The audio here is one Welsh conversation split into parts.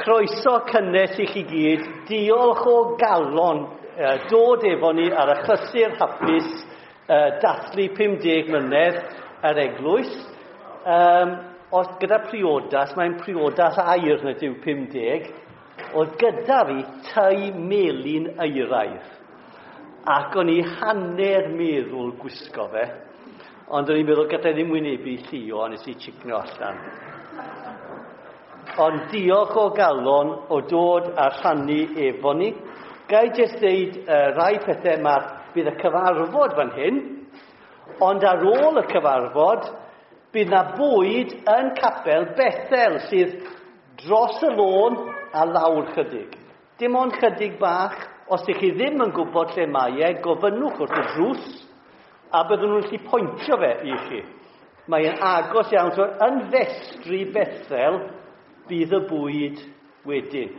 Croeso cynnes i chi gyd. Diolch o galon dod efo ni ar y chysur hapus dathlu 50 mlynedd yr eglwys. Um, os gyda priodas, mae'n priodas air na dyw 50, oedd gyda fi tŷ melyn eiraidd. Ac o'n i hanner meddwl gwisgo fe, ond o'n i'n meddwl gallai ddim wynebu Llio, a nes i chicno allan. Ond diolch o galon o dod a rhannu efo ni. Gai jyst ddeud rai pethau, mae'r, bydd y cyfarfod fan hyn, ond ar ôl y cyfarfod, bydd na bwyd yn capel Bethel sydd dros y lôn a lawr chydig. Dim ond chydig bach, os ydych chi ddim yn gwybod lle mae e, gofynnwch wrth y drws, a byddwn nhw'n gallu pwyntio fe i chi. Mae'n agos iawn, so yn festri Bethel bydd y bwyd wedyn.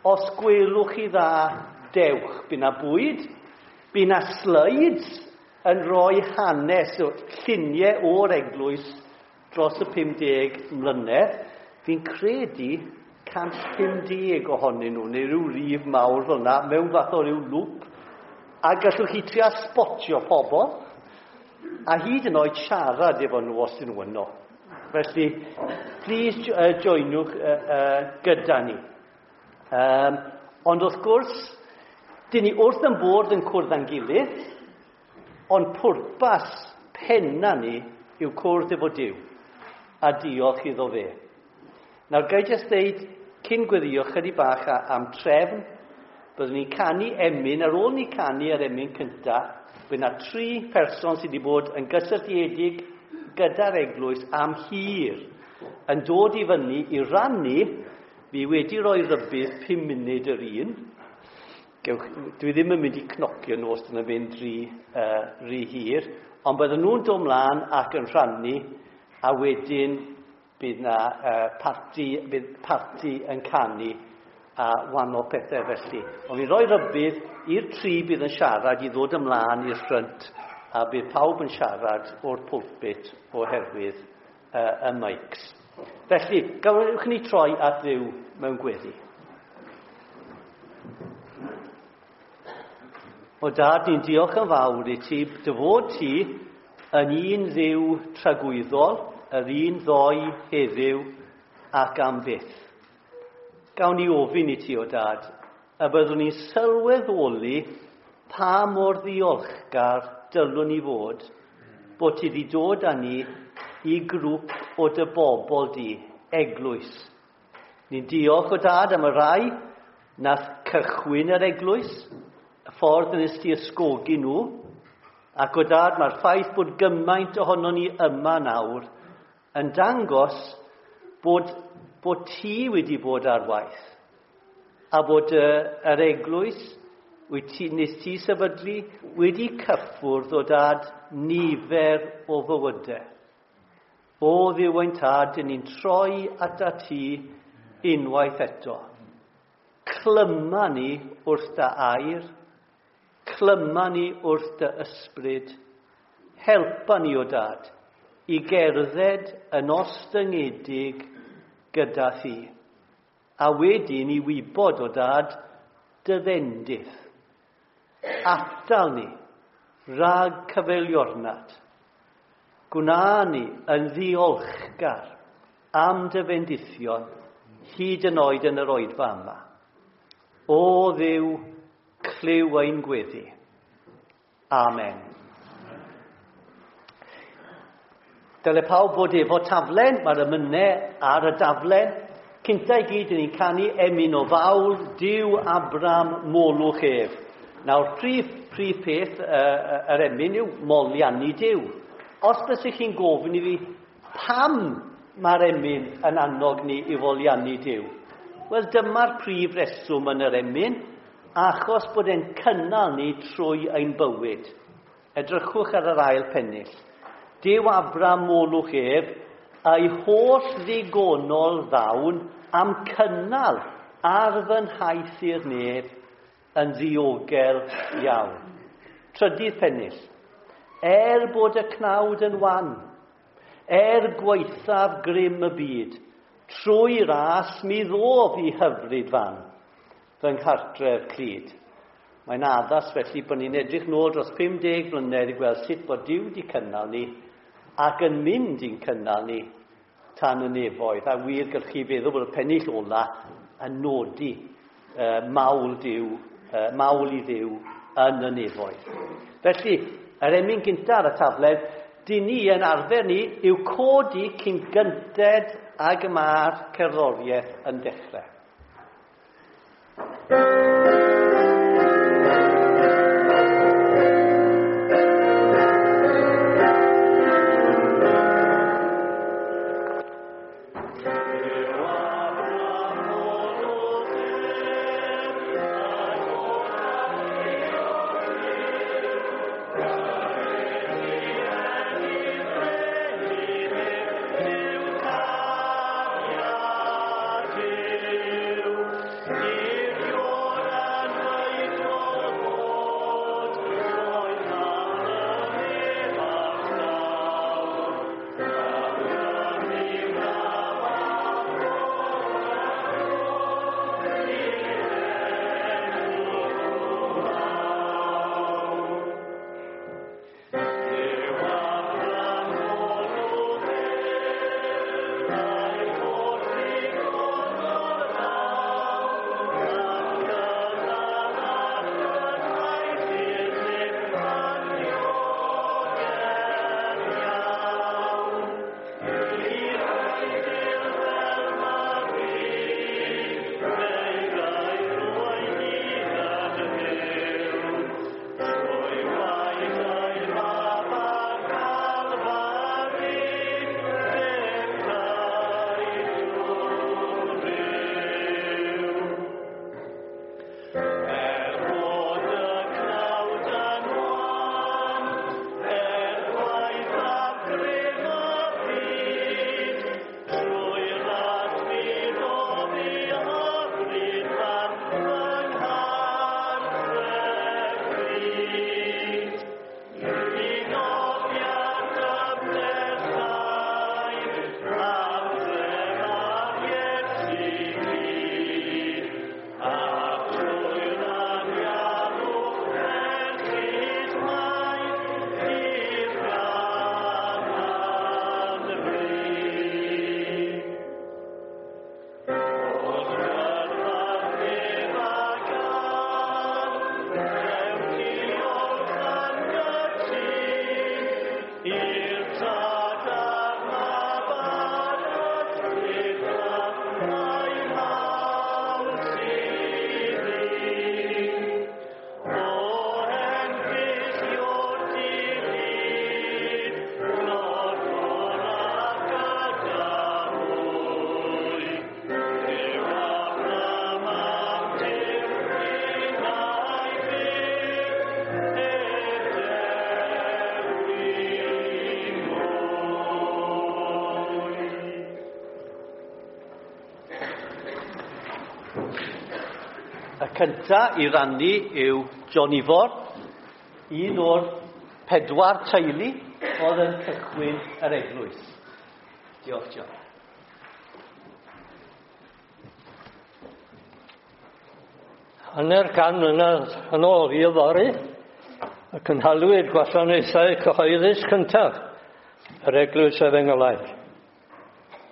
Os gwelwch chi dda, dewch. Bydd na bwyd, bydd na slides yn rhoi hanes, lluniau o'r eglwys dros y 50 mlynedd. Fi'n credu 150 ohonyn nhw, neu rhyw rif mawr fel yna, mewn fath o ryw lwp. A gallwch chi trio spotio pobl, a hyd yn oed siarad efo nhw os ydyn nhw yno. Felly, please joinwch gyda ni. Um, ond wrth gwrs, dyn ni wrth yn bod yn cwrdd â'n gilydd, ond pwrpas penna ni yw cwrdd efo Duw a diolch iddo fe. Nawr, gai jyst ddeud, cyn gweddio chydig bach am trefn, byddwn ni'n canu emyn, ar ôl ni canu yr emyn cynta, bydd yna tri person sydd wedi bod yn gysylltiedig gyda'r eglwys am hir yn dod i fyny i rannu, fi wedi rhoi rhybudd 5 munud yr un. Gewch, dwi ddim yn mynd i cnocio nhw os dyn nhw'n mynd rhy, rhy hir, ond bydden nhw'n dod mlaen ac yn rhannu, a wedyn bydd na uh, parti, bydd parti yn canu a wahanol pethau felly. Ond fi'n rhoi rhybudd i'r tri bydd yn siarad i ddod ymlaen i'r ffrynt a bydd pawb yn siarad o'r pulpit oherwydd y mics. Felly, gawch ni troi at Dduw mewn gweddi. O dad, ni'n diolch yn fawr i ti, dy fod ti yn un ddiw tragwyddol, yr un ddoe heddiw ac am byth. Gawn ni ofyn i ti, o dad, y byddwn ni'n sylweddoli pa mor ddiolchgar dylwn ni fod bod ti wedi dod â ni i grŵp o dy bobl di, eglwys. Ni'n diolch o dad am y rai nath cychwyn yr eglwys, y ffordd nes ti ysgogi nhw, ac o dad mae'r ffaith bod gymaint ohono ni yma nawr yn dangos bod, bod ti wedi bod ar waith a bod uh, yr eglwys wyt ti, nes ti sefydlu wedi cyffwrdd o dad nifer o fywydau. O Dduw ein tad, dyn ni'n troi ata ti unwaith eto. Clyma ni wrth dy air, clyma ni wrth dy ysbryd, helpa ni o dad i gerdded yn ostyngedig gyda thi. A wedyn i wybod o dad dy fendith. Atal ni rhag cyfeiliornad. Gwna ni yn ddiolchgar am dy fendithion hyd yn oed yn yr oedfa yma. O Dduw, clyw ein gweddi. Amen. Dyle pawb fod efo taflen, mae'r emynau ar y daflen. Cynta i gyd, ni'n canu emyn o fawl, Duw Abram, molwch ef. Nawr, prif, prif peth uh, yr emyn yw moliannu Duw. Os bysych chi'n gofyn i fi pam mae'r emyn yn annog ni i foliannu Duw, wel dyma'r prif reswm yn yr emyn, achos bod e'n cynnal ni trwy ein bywyd. Edrychwch ar yr ail pennill. Duw Abram molwch ef, a'i holl ddigonol ddawn am cynnal ar fy nhaith i'r nef yn ddiogel iawn. Trydydd pennill. Er bod y cnawd yn wan, er gwaethaf grym y byd, Trwy ras mi ddof i hyfryd fan, fy nghartref clyd. Mae'n addas felly bod ni'n edrych nôl dros 50 mlynedd i gweld sut bod Duw wedi cynnal ni ac yn mynd i'n cynnal ni tan y nefoedd. A wir gallwch chi feddwl bod y pennill ola yn nodi uh, mawl, Duw, uh, mawl i Dduw yn y nefoedd. Felly, yr emyn gyntaf ar y tafled, dyn ni yn arfer ni yw codi cyn gynted ag y mae'r cerddoriaeth yn dechrau. Y cynta i rannu yw John Ifor, un o'r pedwar teulu oedd yn cychwyn yr eglwys. Diolch, John. Hanner can mlynedd yn ôl i yfory, y cynhalwyd gwasanaethau cyhoeddus cyntaf yr Eglwys Efengylaidd.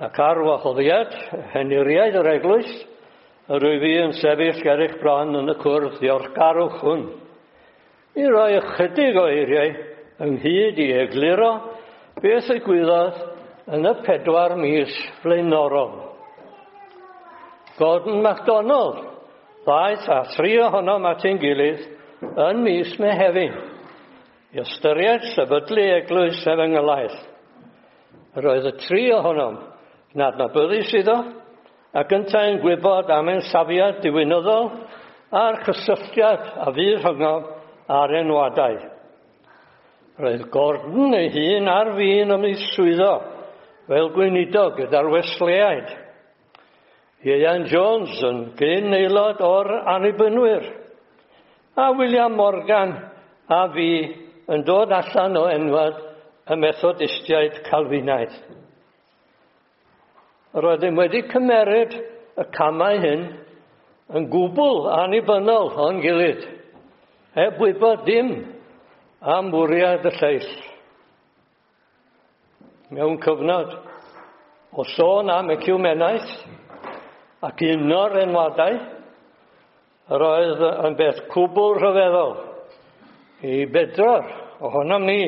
Ac ar wahoddiad henuriaid yr eglwys, yr wyf fi yn sefyll ger eich bron yn y cwrdd diolchgarwch hwn, i roi ychydig o eiriau ynghyd i egluro beth ddigwyddodd yn y 4 mis flaenorol. Gordon MacDonald ddaeth â thri ohonom at ein gilydd yn mis Mehefin i ystyried sefydlu eglwys Efengylaidd. Yr oedd y tri ohonom yn adnabyddus iddo ac yntau'n gwybod am ein safiad diwinyddol a'r cysylltiad a fu rhyngom a'r enwadau. Roedd Gordon ei hun ar fin ymddiswyddo fel gweinidog gyda'r Wesleyaid. Ieuan Jones yn gyn aelod o'r Annibynwyr, a William Morgan a fi yn dod allan o enwad y Methodistiaid Calfinaidd. Yr oeddem wedi cymeryd y camau hyn yn gwbl annibynnol o'n gilydd, heb wybod dim am fwriad y lleill. Mewn cyfnod o sôn am eciwmenaeth ac uno'r enwadau, yr oedd yn beth cwbl rhyfeddol i bedwar ohonom ni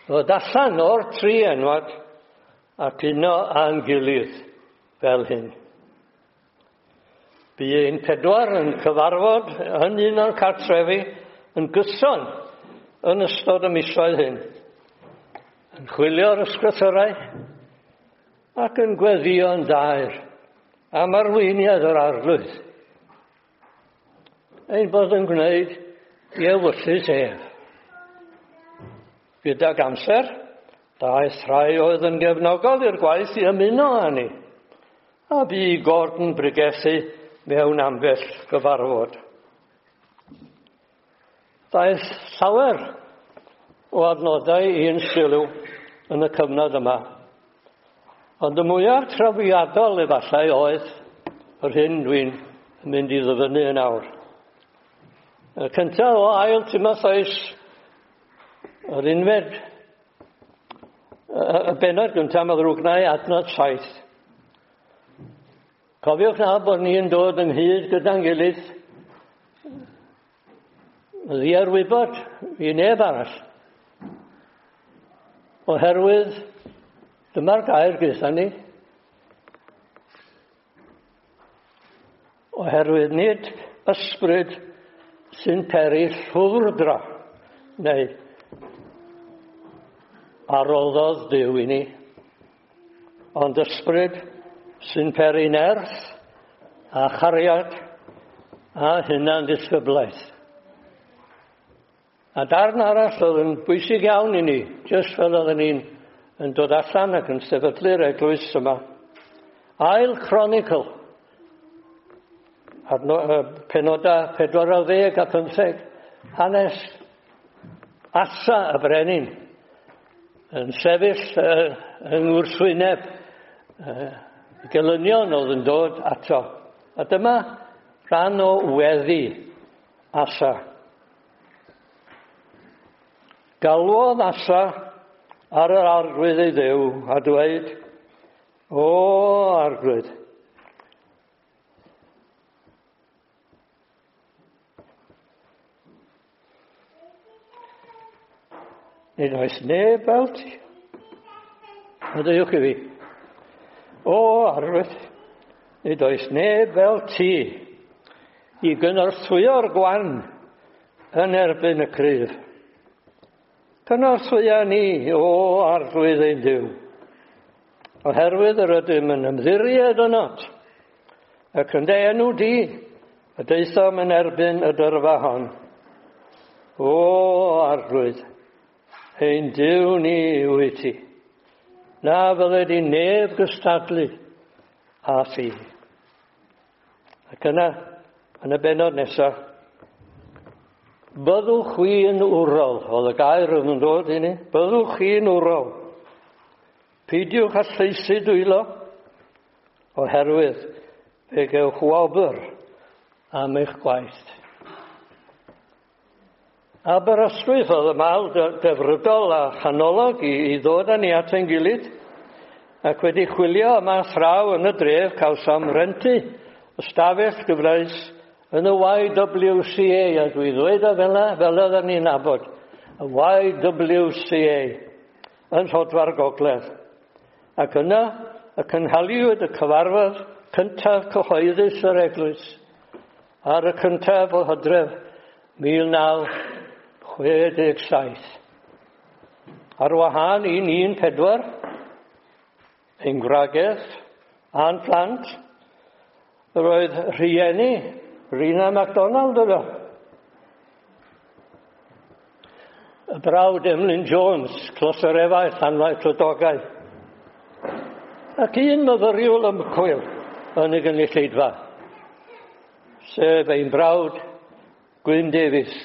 ddod allan o'r tri enwad ac uno â'n gilydd fel hyn. Bu ein pedwar yn cyfarfod yn un o'r cartrefi yn gyson yn ystod y misoedd hyn, yn chwilio'r ysgrythyrau ac yn gweddïo'n daer am arweiniad yr Arglwydd. Ein bod yn gwneud i ewyllys ef. Gydag amser, daeth rhai oedd yn gefnogol i'r gwaith i ymuno â ni, a bu Gordon bregethu mewn ambell gyfarfod. Daeth llawer o adnodau i'n sylw yn y cyfnod yma. Ond y mwyaf trawiadol efallai oedd yr hyn dwi'n mynd i ddyfynnu yn awr. Y cyntaf o ail Timotheus, yr unfed, y bennod gyntaf, mae ddrwgnau adnod 7. Cofiwch na bod ni'n dod ynghyd gyda'n gilydd ddiarwybod i neb arall. Oherwydd dyma'r gair gyda ni. Oherwydd nid ysbryd sy'n peri llwfrdra neu a roddodd Duw i ni, ond ysbryd sy'n peri nerth a chariad a hunan ddisgyblaeth. A darn arall oedd yn bwysig iawn i ni, jyst fel oedden ni'n yn dod allan ac yn sefydlu'r eglwys yma. Ail Chronicle, adno, penoda 40 a 15, hanes Asa y brenin yn sefyll yng ngwrthwyneb gelynion oedd yn dod ato. A dyma rhan o weddi Asa. Galwodd Asa ar yr Arglwydd ei Dduw a dweud, O Arglwydd, Nid oes neb fel ti. Maddeuwch i fi. O, Arglwydd, nid oes neb fel ti i gynorthwyo'r gwan yn erbyn y cryf. Cynorthwya ni, o Arglwydd ein Duw, oherwydd yr ydym yn ymddiried ynot, ac yn dy enw di, y daethom yn erbyn y dyrfa hon. O Arglwydd, ein Duw ni wyt ti. Na fydded i neb gystadlu â thi. Ac yna, yn y bennod nesaf, byddwch chwi yn wrol, oedd y gair oedd yn dod i ni, byddwch chi'n wrol. Peidiwch â llaesu dwylo, oherwydd fe gewch wobr am eich gwaith. Aberystwyth oedd y mal defrydol a chanolog i, i ddod â ni at ein gilydd, ac wedi chwilio yma thraw yn y dref cawsom rentu ystafell gyfleus yn y YWCA, a dwi ddweud o fel yna, fel oedden ni'n nabod, y YWCA yn Rhodfa'r Gogledd. Ac yna y cynhaliwyd y cyfarfod cyntaf cyhoeddus yr eglwys ar y cyntaf o Hydref 1967. Ar wahân i'n un pedwar, ein gwragedd a'n plant, roedd rhieni Rina MacDonald yno. Y brawd Emlyn Jones, Closerefau, Llanfair Clydogau. Ac un myfyriwr ymchwil yn y gynulleidfa, sef ein brawd Gwyn Davies,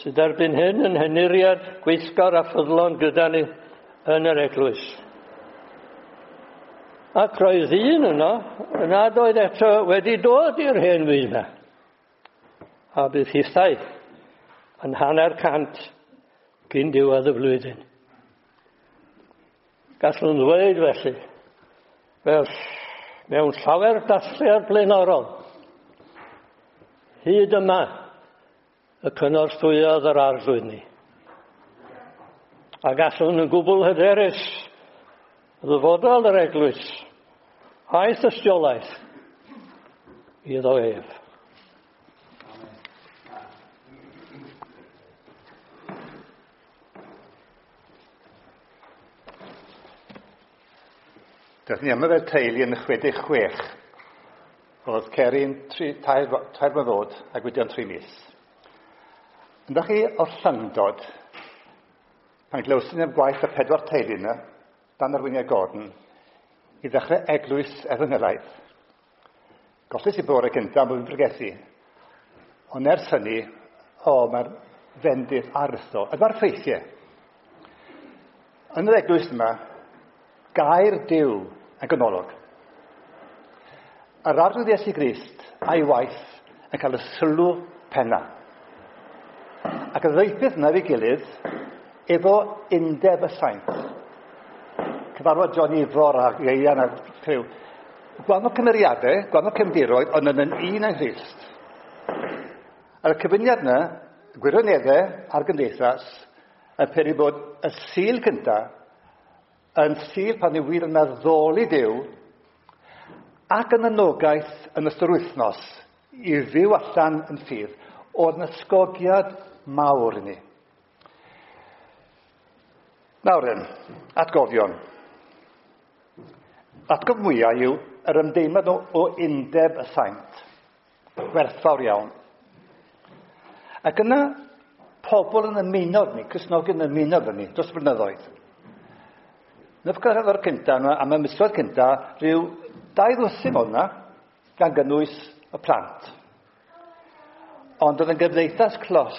sydd erbyn hyn yn henuriad gweithgar a ffyddlon gyda ni yn yr eglwys. Ac roedd un yno nad oedd eto wedi dod i'r hen fyd yma. A bydd hithau yn 150 cyn diwedd y flwyddyn. Gallwn ddweud felly, fel mewn llawer dathliad blaenorol, hyd yma y cynorthwyodd yr arglwydd ni. A gallwn yn gwbl hyderus ddyfodol yr eglwys a'i thystiolaeth iddo ef. Daeth ni yma fel teulu yn y 66. Oedd Ceri'n 3, 3 mlynedd oed a Gwydion 3 mis. Ynddo chi o'r llyngdod, pan glywson ni am gwaith y pedwar teulu yna, dan arweiniad Gordon, i ddechrau eglwys efengylaidd. Golles i bore cyntaf am bod yn pregethu. Ond ers hynny, o, mae'r fendith aruthrol. A dyma'r ffeithiau. Yn yr eglwys yma, gair Duw yn ganolog. Yr Arglwydd Iesu Grist a'i waith yn cael y sylw penna. Ac y ddeupeth yna efo'i gilydd efo undeb y saint. Cyfarfod John Ifor a Ieuan a criw. Gwahanol cymeriadau, gwahanol cefndiroedd, ond yn un yng Nghrist. A'r cyfuniad yna, gwirioneddau a'r gymdeithas, yn peri bod y Sul cyntaf yn Sul pan yw wir yn addoli Duw ac yn anogaeth yn ystod wythnos i fyw allan yn ffydd, oedd yn ysgogiad mawr i ni. Nawr then, atgofion. Atgof mwyaf yw yr ymdeimlad o undeb y saint. Gwerthfawr iawn. Ac yna, pobl yn ymuno ni, Cristnogion yn ymuno efo ni, dros blynyddoedd. Yn y cyfarfod cyntaf, am y misoedd cyntaf, rhyw 24 oedd yna, gan gynnwys y plant. Ond oedd yn gymdeithas clos,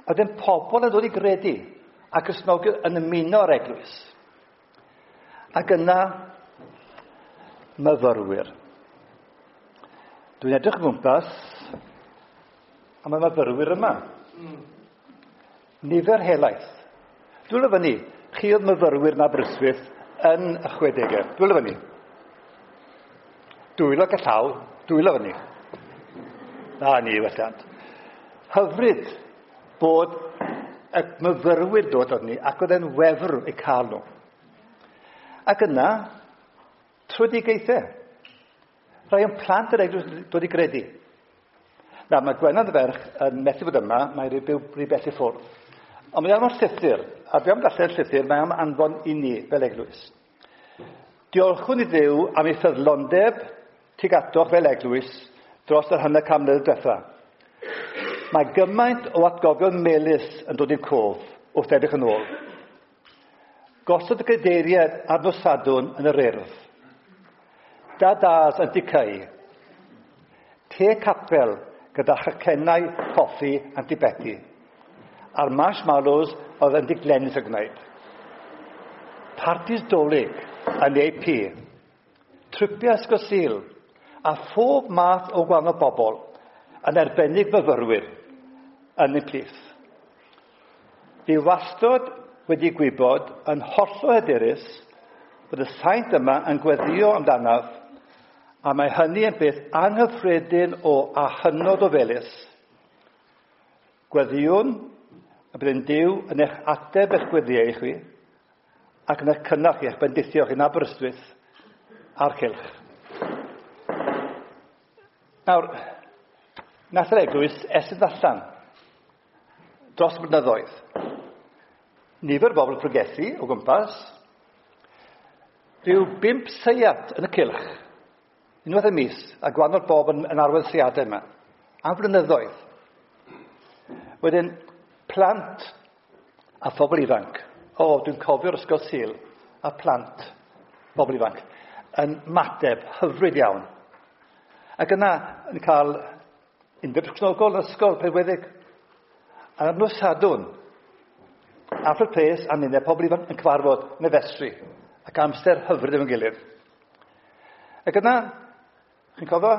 a wedyn pobl yn dod i gredu, a Cristnogion yn ymuno â'r eglwys. Ac yna, myfyrwyr. Dwi'n edrych o gwmpas, a mae myfyrwyr yma. Nifer helaeth. Dwylo fyny, chi oedd myfyrwyr yn Aberystwyth yn y 60au. Dwylo fyny. Dwylo ac y llaw, dwylo fyny. Na ni, welliant. Hyfryd bod y myfyrwyr dod od ni, ac oedd e'n wefr eu cael nhw. Ac yna, trwydigaethau. Rhai o'n plant yr eglwys dod i gredu. Na, mae Gwenan y ferch yn methu bod yma, mae rhy byw rhy bell i ffwrdd. Ond mae am llythyr, a dwi am darllen llythyr, mae am anfon i ni fel eglwys. Diolchwn i Dduw am ei ffyddlondeb tuag atoch fel eglwys dros yr hanner can mlynedd diwetha. Mae gymaint o atgofion melys yn dod i'r cof wrth edrych yn ôl. Gosod y cadeiriau ar nos Sadwrn yn yr Urdd. Da-das yn Dicau. Te capel gyda chacennau coffi Anti Betty. A'r marshmallows oedd yn diglenus y gwneud. Partis Dolig yn AP. Tripiau Ysgol Sul a phob math o gwahanol bobl, yn arbennig myfyrwyr, yn eu plith. Fi wastod wedi gwybod yn hollol hyderus bod y saint yma yn gweddio amdanaf, a mae hynny yn beth anghyffredin o a hynod o felys. Gweddiwn y bydd yn Duw yn eich ateb eich gweddiau i chwi, ac yn eich cynnal chi, eich bendithio chi yn Aberystwyth a'r cylch. Nawr, nath yr eglwys estyn allan dros y blynyddoedd. Nifer o bobl yn pregethu o gwmpas, rhyw 5 seiat yn y cylch, unwaith y mis, a gwahanol bob yn arwain seiadau yma, am flynyddoedd. Wedyn, plant a phobl ifanc. O, dwi'n cofio'r ysgol Sul, a plant, bobl ifanc, yn mateb hyfryd iawn. Ac yna, yn cael undeb Cristnogol yn ysgol Penweddig. A ar nos Sadwrn, Alfred Place a ninne, pobl ifanc yn cyfarfod yn y festri, ac amser hyfryd efo'n gilydd. Ac yna, chi'n cofio,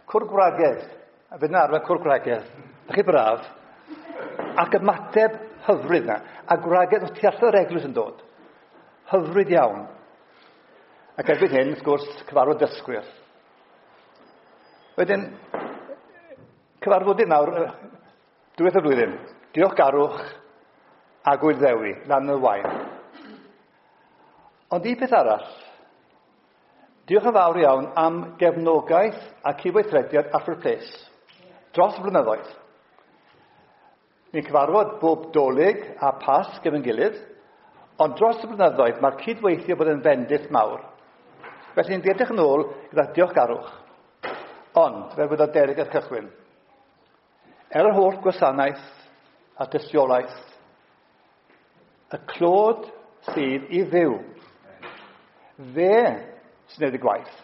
cwr gwragedd. A fydd yna arfer cwr gwragedd. Ydych chi braf? Ac ymateb hyfryd yna. A gwragedd o tu allan yr eglwys yn dod. Hyfryd iawn. Ac erbyn hyn, wrth gwrs, cyfarfod dysgwyr. Wedyn, cyfarfodydd nawr, diwedd y flwyddyn. Diolchgarwch a gwyddewi, lan y wain. Ond un peth arall, diolch yn fawr iawn am gefnogaeth a cydweithrediad Alfred Place dros y blynyddoedd. Ni'n cyfarfod bob Dolig a Pasg efo'n gilydd, ond dros y blynyddoedd mae'r cydweithio bod yn fendith mawr. Felly ni'n edrych yn ôl gyda diolchgarwch. Ond, fel wedodd Derek ar cychwyn, er yr holl gwasanaeth a dystiolaeth, y clod sydd i Dduw. Fe sy'n gwneud y gwaith.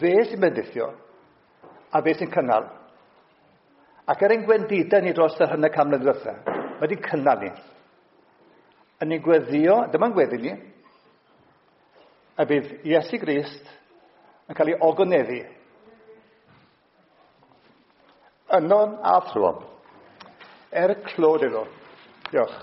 Fe sy'n bendithio. A fe sy'n cynnal. Ac er ein gwendidau ni dros yr hanner can mlynedd diwetha, mae wedi cynnal ni. Yn ni'n gweddio, dyma'n gweddi ni, a bydd Iesu Grist yn cael ei ogoneddu. Ynon a thrwom. Er clod iddo. Diolch.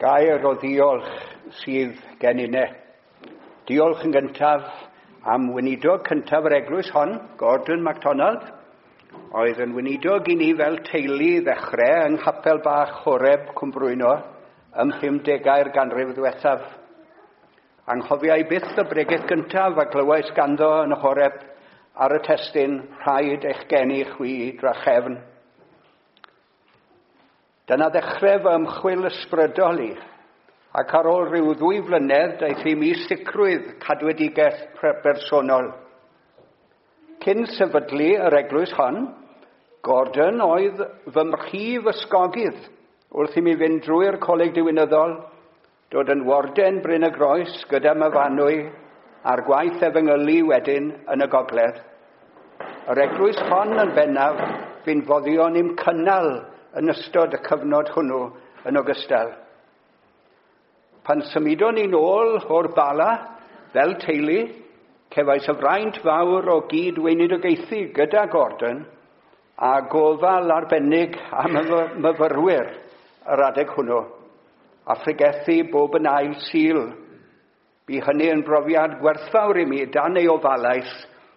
Gair o ddiolch sydd gen inne. Diolch yn gyntaf am weinidog cyntaf yr eglwys hon, Gordon MacDonald, oedd yn weinidog i ni fel teulu ddechrau yng Nghapel Bach Horeb Cwmbrwyno ym 50au'r ganrif ddiwethaf. Anghofiai byth y bregeth gyntaf a glywais ganddo yn y Horeb ar y testun rhaid eich geni chwi drachefn. Dyna ddechrau fy ymchwil ysbrydol i, ac ar ôl rhyw 2 flynedd daeth i mi sicrwydd cadwedigaeth bersonol. Cyn sefydlu yr eglwys hon, Gordon oedd fy mhrif ysgogydd wrth i mi fynd drwy'r coleg diwinyddol, dod yn warden Bryn y Groes gyda Myfanwy a'r gwaith efengylu wedyn yn y gogledd. Yr eglwys hon yn bennaf fu'n foddion i'm cynnal yn ystod y cyfnod hwnnw yn ogystal. Pan symudon ni'n ôl o'r Bala fel teulu, cefais y fraint fawr o gyd-weinidogaethu gyda Gordon a gofal arbennig am y myfyrwyr yr adeg hwnnw, a phregethu bob yn ail Sul. Bu hynny yn brofiad gwerthfawr i mi dan ei ofalaeth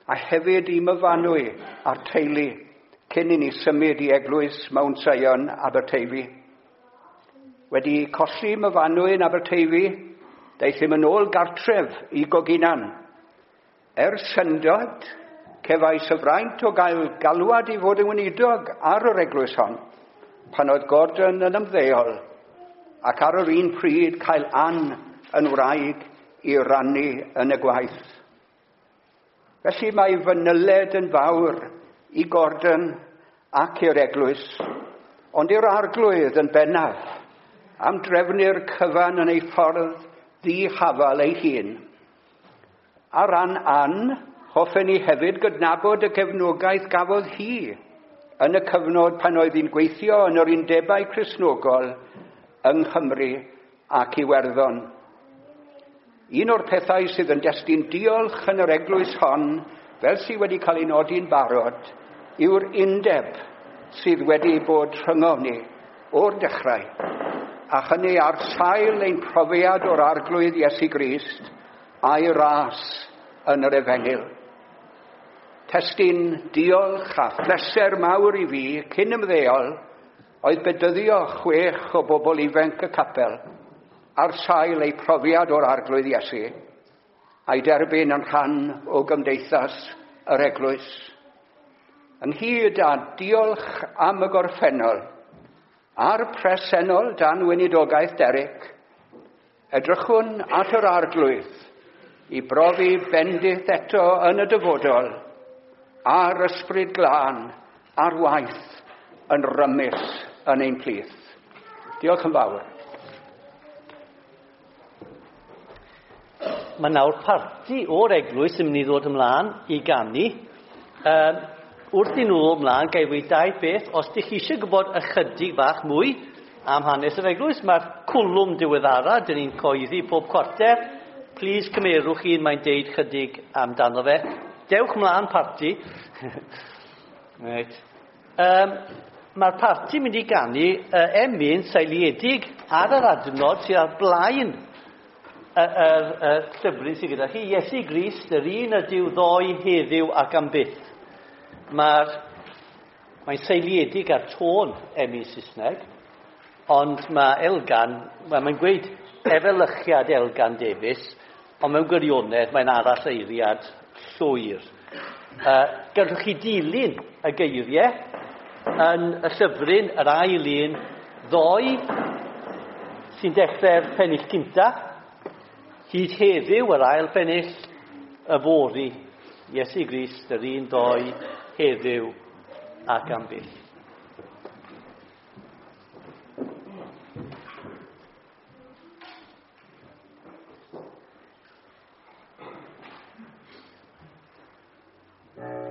a hefyd i Myfanwy a'r teulu cyn i ni symud i eglwys Mount Sion Aberteifi. Wedi colli Myfanwy yn Aberteifi, daethum yn ôl gartref i Goginan. Er syndod, cefais y fraint o gael galwad i fod yn weinidog ar yr eglwys hon, pan oedd Gordon yn ymddeol, ac ar yr un pryd cael Ann yn wraig i rannu yn y gwaith. Felly mae fy nyled yn fawr i Gordon ac i'r eglwys, ond i'r arglwydd yn bennaf, am drefnu'r cyfan yn ei ffordd ddihafal ei hun. Ar ran Ann, hoffen ni hefyd gydnabod y gefnogaeth gafodd hi yn y cyfnod pan oedd hi'n gweithio yn yr undebau Cristnogol yng Nghymru ac Iwerddon. Un o'r pethau sydd yn destun diolch yn yr eglwys hon, fel sydd wedi cael ei nodi'n barod, yw'r undeb sydd wedi bod rhyngom ni o'r dechrau, a hynny ar sail ein profiad o'r arglwydd Iesu Grist a'i ras yn yr efengyl. Testun diolch a phleser mawr i fi cyn ymddeol oedd bedyddio 6 o bobl ifanc y capel ar sail eu profiad o'r arglwydd Iesu a'i derbyn yn rhan o gymdeithas yr eglwys. Ynghyd â diolch am y gorffennol a'r presennol dan weinidogaeth Derek, edrychwn at yr arglwydd i brofi bendith eto yn y dyfodol a'r ysbryd glân a'r waith yn rymus yn ein plith. Diolch yn fawr. Mae nawr parti o'r eglwys yn mynd i ddod ymlaen i ganu. Wrth i nhw ddod ymlaen, ga i weud dau beth. Os dych chi eisiau gwybod ychydig bach mwy am hanes yr eglwys, mae'r cwlwm diweddara, dyn ni'n coeddi pob cwarter. Plis cymerwch un, mae'n deud chydig amdano fe. Dewch mlaen, parti. Reit. Mae'r parti mynd i ganu emyn seiliedig ar yr adnod sydd ar blaen y llyfryn sydd gyda chi. Iesu Grist, yr un ydyw ddoe, heddiw ac am byth. Mae'n seiliedig ar tôn emyn Saesneg, ond mae Elgan, wel, mae'n gweud efelychiad Elgan Davies, ond mewn gwirionedd mae'n arall eiriad llwyr. Gallwch chi dilyn y geiriau yn y llyfryn, yr ail un, ddoe, sy'n dechrau'r pennill cynta, hyd heddiw yr ail bennill, yfory, Iesu Grist, yr un ddoe, heddiw ac am byth. Thank you.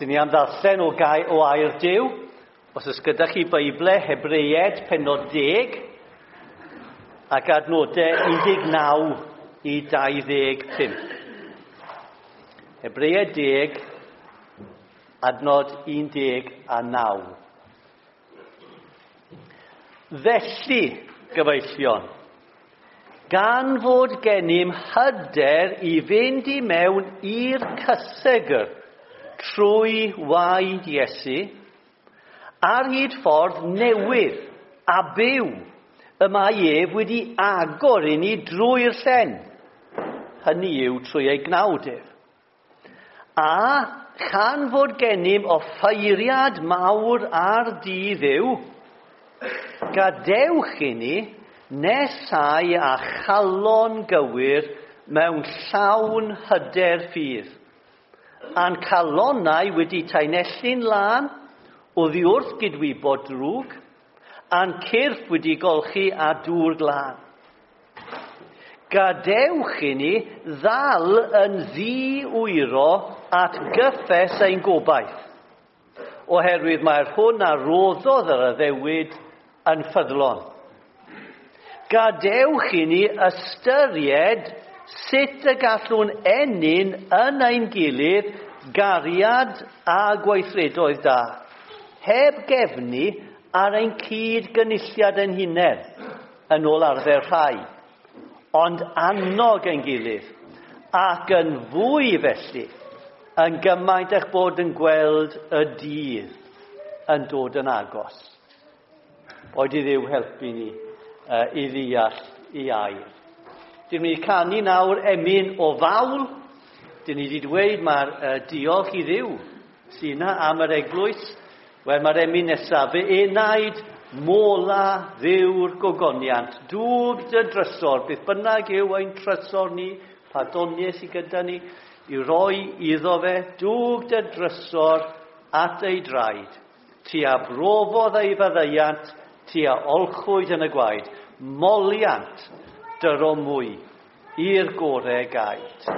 Dyn ni am ddarllen o, gai, o air Duw. Os oes gyda chi Beible Hebreied penod 10 ac adnodau 19 i 25. Hebreied 10, adnod 19. Felly, gyfeillion, gan fod gennym hyder i fynd i mewn i'r cysegr trwy waed Iesu, ar hyd ffordd newydd a byw y mae ef wedi agor i ni drwy'r llen, hynny yw trwy ei gnawd ef. A chan fod gennym offeiriad mawr ar dydd yw, gadewch i ni nesau a chalon gywir mewn llawn hyder ffydd, a'n calonnau wedi taenellu'n lân oddi wrth gydwybod drwg, a'n cyrff wedi golchi â dŵr glân. Gadewch i ni ddal yn ddi-wyro at gyffes ein gobaith, oherwydd mae'r hwn a roddodd yr addewid yn ffyddlon. Gadewch i ni ystyried sut y gallwn ennyn yn ein gilydd gariad a gweithredoedd da, heb gefnu ar ein cyd gynulliad ein hunain, yn ôl arfer rhai, ond annog ein gilydd, ac yn fwy felly, yn gymaint eich bod yn gweld y dydd yn dod yn agos. Boed i Dduw helpu ni i ddeall i air. Dyn ni'n canu nawr emyn o fawl. Dyn ni wedi dweud mae'r diolch i Dduw sy'n yna am yr eglwys. Wel, mae'r emyn nesaf, fy enaid mola Dduw'r gogoniant, dwg dy drysor, beth bynnag yw ein trysor ni, pa doniau sydd gyda ni, i roi iddo fe, dwg dy drysor at ei draed. Ti a brofodd ei faddeuant, ti a olchwyd yn y gwaed, moliant dyro mwy i'r gorau gaed.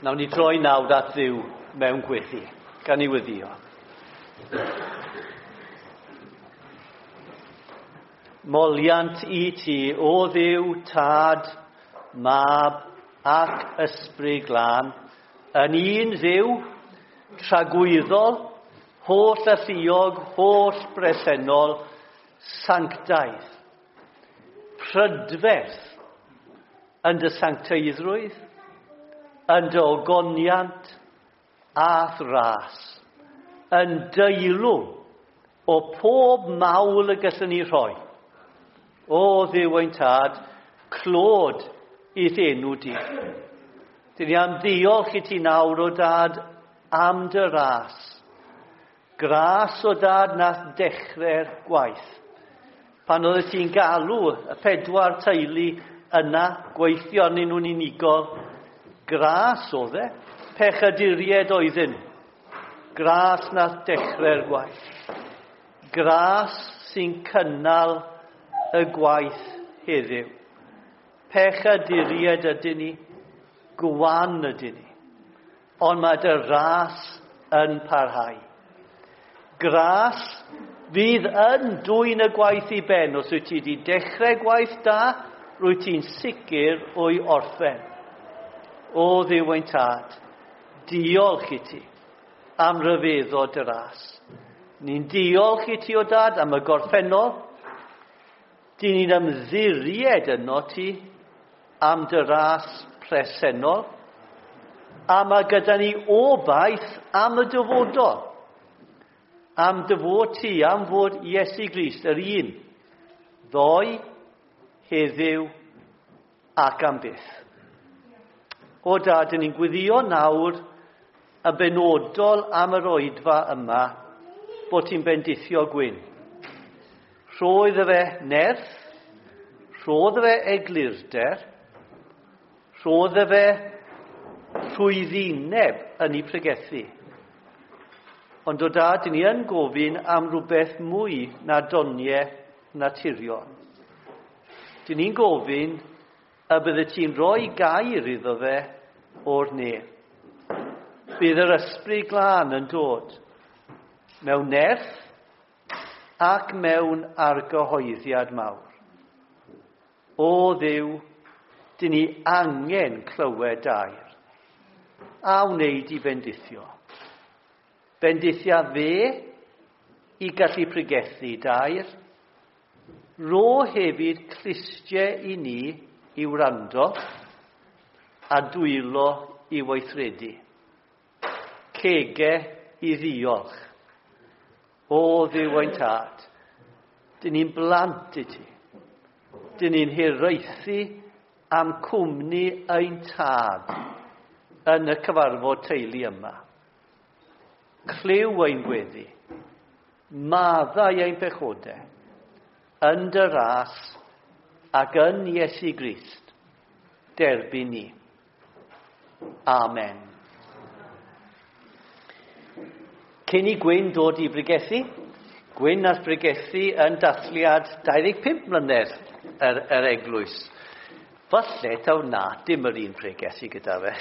Nawn ni droi nawr at Dduw mewn gweddi, gan i weddio. Moliant i ti, o Dduw, Tad, Mab ac Ysbryd Glân, yn un Dduw, tragwyddol, holl alluog, holl bresennol, sanctaidd, prydferth yn dy sancteiddrwydd, yn dy ogoniant a'th ras, yn deilwng o pob mawl y gallwn ni rhoi. O Dduw ein Tad, clod i'th enw di. Dyn ni am ddiolch i ti nawr o Dad am dy ras. Gras o Dad nath dechrau'r gwaith. Pan oedd ti'n galw y pedwar teulu yna, gweithio arnyn nhw'n unigol, gras oedd e, pechaduried oedden nhw. Gras nath dechrau'r gwaith. Gras sy'n cynnal y gwaith heddiw. Pechaduried ydyn ni, gwan ydyn ni. Ond mae dy ras yn parhau. Gras fydd yn dwyn y gwaith i ben. Os wyt ti wedi dechrau gwaith da, rwyt ti'n sicr o'i orffen. O Dduw ein Tad, diolch i ti am ryfeddod dy ras. Ni'n diolch i ti o Dad am y gorffennol. Dyn ni'n ymddiried yno ti am dy ras presennol. A mae gyda ni obaith am y dyfodol. Am dy fod ti, am fod Iesu Grist, yr un, ddoe, heddiw ac am byth. O Dad, dyn ni'n gweddio nawr yn benodol am yr oedfa yma bod ti'n bendithio Gwyn. Rho iddo fe nerth, rho iddo fe eglurder, rho iddo fe rhwyddineb yn ei pregethu. Ond o Dad, dyn ni yn gofyn am rhywbeth mwy na doniau naturiol. Dyn ni'n gofyn y bydde ti'n rhoi gair iddo fe o'r nef. Bydd yr Ysbryd Glân yn dod mewn nerth ac mewn argyhoeddiad mawr. O Dduw, dyn ni angen clywed dair. A wneud i bendithio. Bendithia fe i gallu pregethu dair. Rho hefyd clustiau i ni i wrando a dwylo i weithredu. Cege i ddiolch. O Dduw ein Tad, dyn ni'n blant i ti. Dyn ni'n hiraethu am cwmni ein Tad yn y cyfarfod teulu yma. Clyw ein gweddi, maddau ein pechodau, yn dy ras ac yn Iesu Grist, derbyn ni. Amen. Cyn i Gwyn dod i bregethu, Gwyn nath bregethu yn dathliad 25 mlynedd yr eglwys. Falle taw na, dim yr un pregethu gyda fe.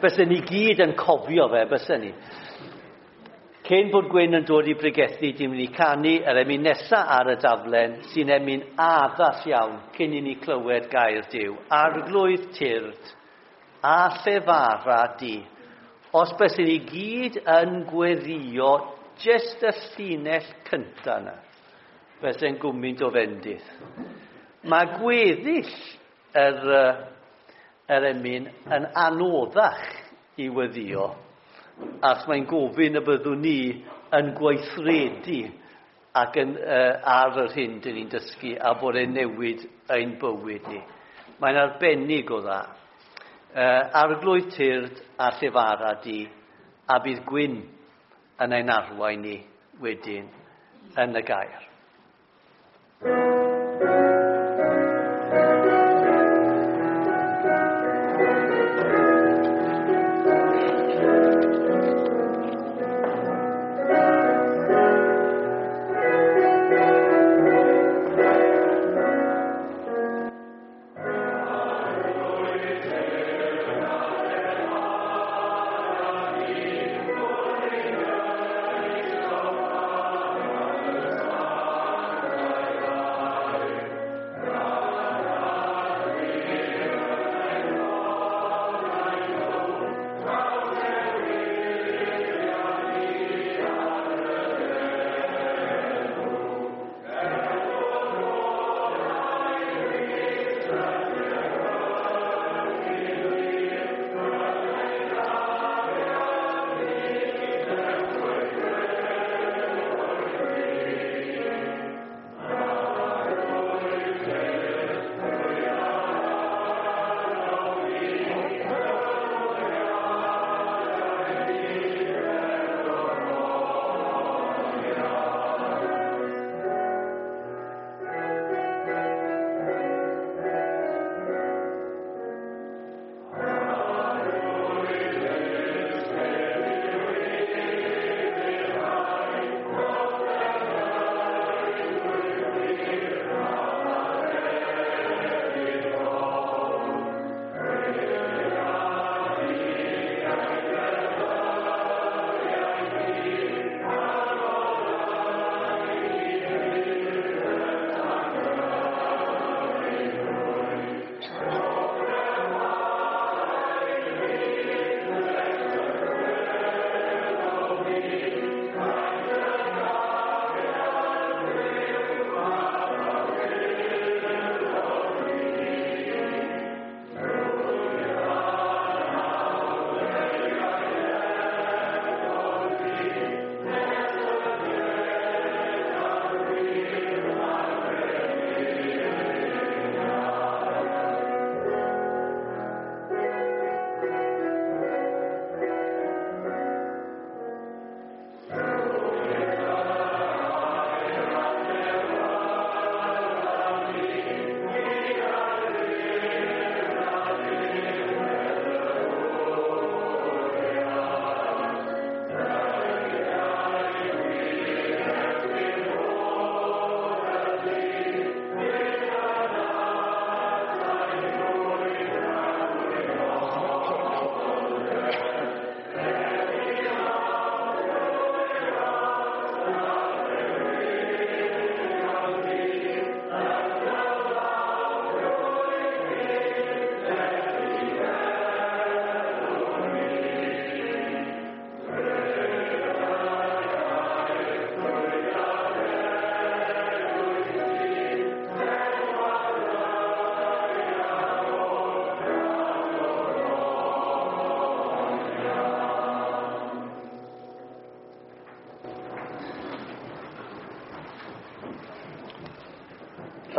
Bysen ni gyd yn cofio fe, bysen ni. Cyn bod Gwyn yn dod i bregethu, dim mynd i canu yr emyn nesa ar y daflen, sy'n emyn addas iawn cyn i ni clywed gair Duw. Arglwydd tyrd, a llefara di. Os bysen ni gyd yn gweddio jyst y llinell cynta yna, bysen gwmynt o fendith. Mae gweddill yr emyn yn anoddach i weddio, ac mae'n gofyn y byddwn ni yn gweithredu ac yn, ar yr hyn dyn ni'n dysgu a bod e'n newid ein bywyd ni. Mae'n arbennig o dda. Arglwydd tyrd a llefara di, a bydd Gwyn yn ein arwain ni wedyn yn y gair. Arglwydd tyrd a llefara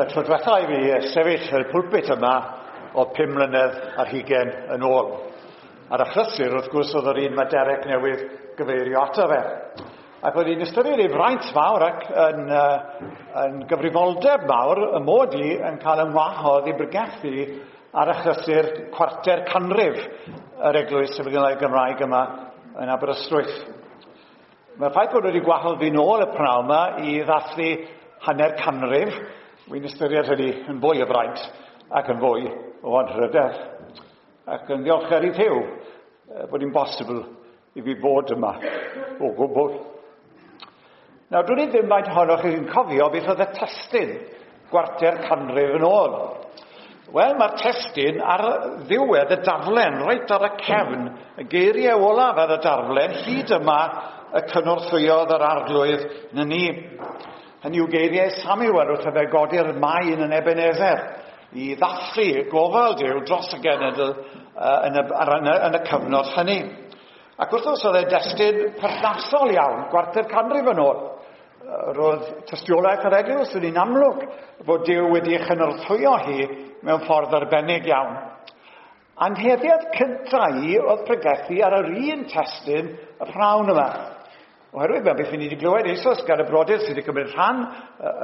Y tro diwetha i fi sefyll yn y pulpit yma o 5 mlynedd ar hugain yn ôl. A'r achlysur, wrth gwrs, oedd yr un mae Derek newydd gyfeirio ato fe. Ac oedd hi'n ystyried ei fraint mawr ac yn gyfrifoldeb mawr y mod i yn cael yn wahodd i bregethu ar achlysur chwarter canrif yr Eglwys Efengylaidd Gymraeg yma yn Aberystwyth. Mae'r ffaith bod wedi gwahodd fi nôl y pnawn yma i ddathlu hanner canrif, wy'n ystyried hynny yn fwy o fraint ac yn fwy o anrhydedd. Ac yn ddiolchgar i Dduw bod hi'n bosibl i fi fod yma o gwbl. Nawr, dwn i ddim faint ohonoch chi'n cofio beth oedd y testun gwarter canrif yn ôl. Wel, mae'r testun ar ddiwedd y darllen, reit ar y cefn, y geiriau olaf ar y darllen, hyd yma y cynorthwyodd yr arglwydd na ni. Hynny yw geiriau Samuel wrth iddo godi'r maen yn Ebenezer i ddathlu gofal Duw dros y genedl yn y cyfnod hynny. Ac wrth gwrs oedd e destun perthnasol iawn, gwarter canrif yn ôl. Roedd tystiolaeth yr eglwys yn un amlwg fod Duw wedi ei chynorthwyo hi mewn ffordd arbennig iawn. Anheddiad cyntaf i oedd pregethu ar yr un testun y prynhawn yma. Oherwydd mae beth ni wedi glywed eisoes gan y brodyr sydd wedi cymryd rhan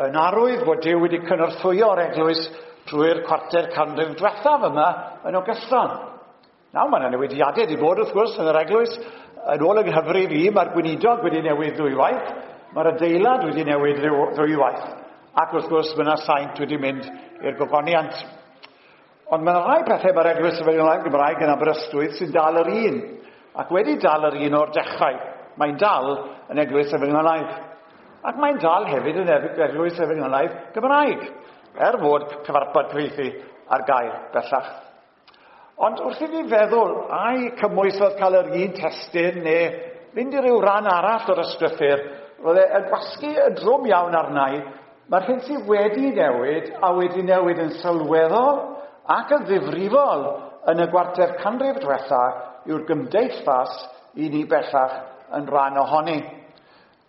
yn arwydd fod Duw wedi cynorthwyo'r eglwys trwy'r chwarter canrif diwethaf yma yn ogystal. Nawr, mae yna newidiadau wedi bod wrth gwrs yn yr eglwys. Yn ôl yng nghyfrif i, mae'r gweinidog wedi newid ddwywaith, mae'r adeilad wedi newid ddwywaith, ac wrth gwrs mae yna saint wedi mynd i'r gogoniant. Ond mae yna rai pethau mae'r Eglwys Efengylaidd Gymraeg yn Aberystwyth sy'n dal yr un, ac wedi dal yr un o'r dechrau. Mae'n dal yn Eglwys Efengylaidd. Ac mae'n dal hefyd yn Eglwys Efengylaidd Gymraeg, er fod cyfarpar cyfieithu ar gael bellach. Ond wrth i fi feddwl, ai cymwys oedd cael yr un testun neu fynd i ryw ran arall o'r ysgrythur, roedd e yn gwasgu yn drwm iawn arna i. Mae'r hyn sydd wedi newid a wedi newid yn sylweddol ac yn ddifrifol yn y gwarter canrif diwetha yw'r gymdeithas i ni bellach yn rhan ohoni.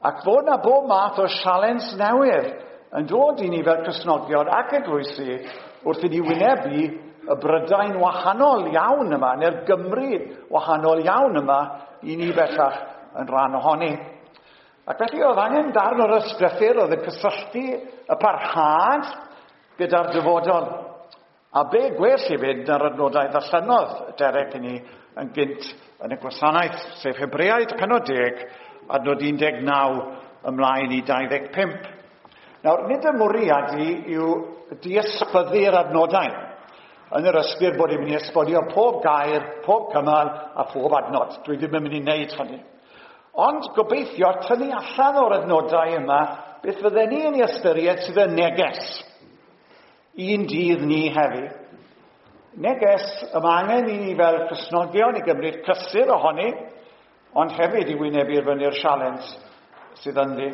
Ac fod na bob math o sialens newydd yn dod i ni fel Cristnogion ac eglwysi wrth i ni wynebu y Brydain wahanol iawn yma, neu'r Gymru wahanol iawn yma, i ni bellach yn rhan ohoni. Ac felly oedd angen darn o'r ysgrythur oedd yn cysylltu y parhad gyda'r dyfodol. A be gwell i fynd na'r adnodau ddarllenodd Derek i ni yn gynt yn y gwasanaeth, sef Hebreaid pennod 10, adnod 19 ymlaen i 25. Nawr, nid y mwriad i yw diysbyddu'r adnodau. Yn yr ystyr bod i'n mynd i esbonio pob gair, pob cymal a phob adnod. Dwi ddim yn mynd i wneud hynny. Ond gobeithio tynnu allan o'r adnodau yma beth fydden ni yn ei ystyried sydd yn neges. Un dydd ni heddi. Neges y mae angen i ni fel Cristnogion i gymryd cysur ohoni, ond hefyd i wynebu'r fyny'r sialens sydd ynddi.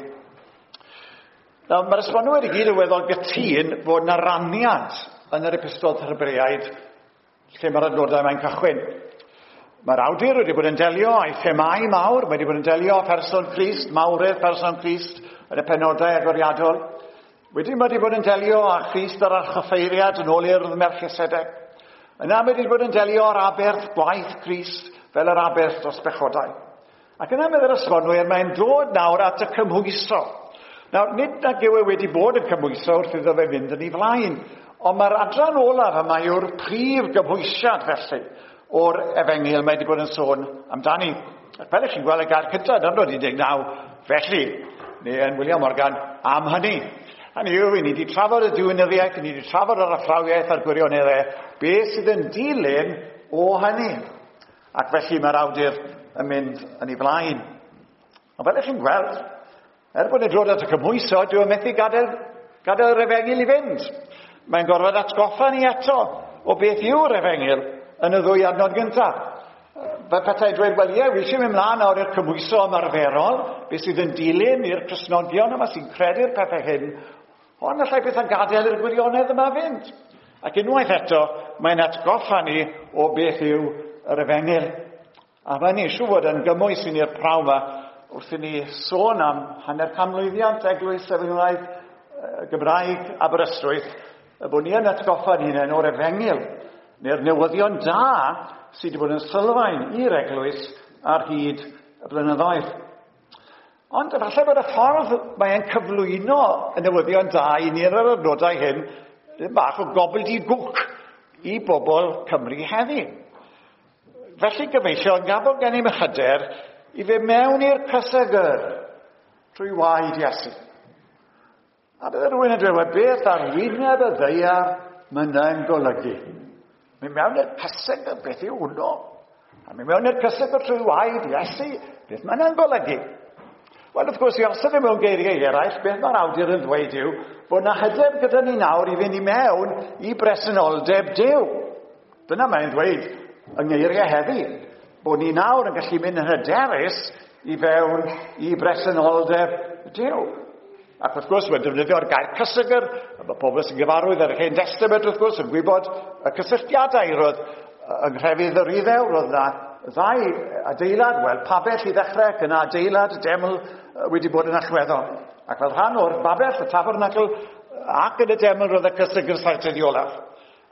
Nawr, mae'r esbonwyr i gyd yn weddol gytûn fod yna raniad yn yr epistol Hebreaid lle mae'r adnodau mae'n cychwyn. Mae'r awdur wedi bod yn delio â'i themâu mawr, mae wedi bod yn delio â pherson Crist, mawredd person Crist yn y penodau agoriadol. Wedyn mae wedi bod yn delio â Christ yr archoffeiriad yn ôl i'r Melchisedec. Yna mae wedi bod yn delio â'r aberth gwaith Crist fel yr aberth dros bechodau. Ac yna meddwl esbonwyr, mae'n dod nawr at y cymhwyso. Nawr, nid nag yw e wedi bod yn cymhwyso wrth iddo fe fynd yn ei flaen, ond mae'r adran olaf yma yw'r prif gymhwysiad felly o'r efengyl mae wedi bod yn sôn amdani. Ac fel ych chi'n gweld y gair cyntaf yn adnod 19, felly, neu yn William Morgan, am hynny. Hynny yw, ni wedi trafod y diwinyddiaeth, ni wedi trafod yr athrawiaeth a'r gwirioneddau, beth sydd yn dilyn o hynny. Ac felly mae'r awdur yn mynd yn ei flaen. Ond fel ych chi'n gweld, er bod e'n dod at y cymhwyso, dyw e methu gadael yr efengyl i fynd. Mae'n gorfod atgoffa ni eto o beth yw'r efengyl yn y ddwy adnod gyntaf. Fel petai dweud, wel ie, wi eisiau mynd mlaen nawr i'r cymhwyso ymarferol, beth sydd yn dilyn i'r Cristnogion yma sy'n credu'r pethau hyn, ond allai beth yn gadael i'r gwirionedd yma fynd. Ac unwaith eto, mae'n atgoffa ni o beth yw yr efengyl. A mae'n eisiau fod yn gymwys i ni'r prawn yma wrth i ni sôn am hanner canmlwyddiant Eglwys Efengylaidd Gymraeg Aberystwyth, y bod ni yn atgoffa'n hunain o'r efengyl, neu'r newyddion da sydd wedi bod yn sylfaen i'r eglwys ar hyd y blynyddoedd. Ond efallai bod y ffordd mae'n cyflwyno y newyddion da i ni yn yr adnodau hyn, ddim bach o gobbledygook i bobl Cymru heddi. Felly gyfeillion, gan bod gennym hyder i fe mewn i'r cysegr trwy waed Iesu. A bydde rhywun yn dweud, wel beth ar wyneb y ddaear mae yna'n golygu? Mynd mewn i'r cysegr, beth yw hwnnw? A mynd mewn i'r cysegr trwy waed Iesu, beth mae yna'n golygu? Wel, wrth gwrs, i osod e mewn geiriau eraill, beth mae'r awdur yn ddweud yw bod yna hyder gyda ni nawr i fynd i mewn i bresenoldeb Duw. Dyna mae'n dweud yng ngeiriau heddi, bod ni nawr yn gallu mynd yn hyderus i fewn i bresenoldeb Duw. Ac wrth gwrs, mae'n defnyddio'r gair cysegr, a mae pobl sy'n gyfarwydd ar yr Hen Testament, wrth gwrs, yn gwybod y cysylltiadau roedd yng nghrefydd yr Iddew, roedd yna ddau adeilad, wel, pabell i ddechrau, ac yna adeilad, deml wedi bod yn allweddol. Ac fel rhan o'r babell, y tabernacl, ac yn y deml roedd y cysegr sanctaidd olaf.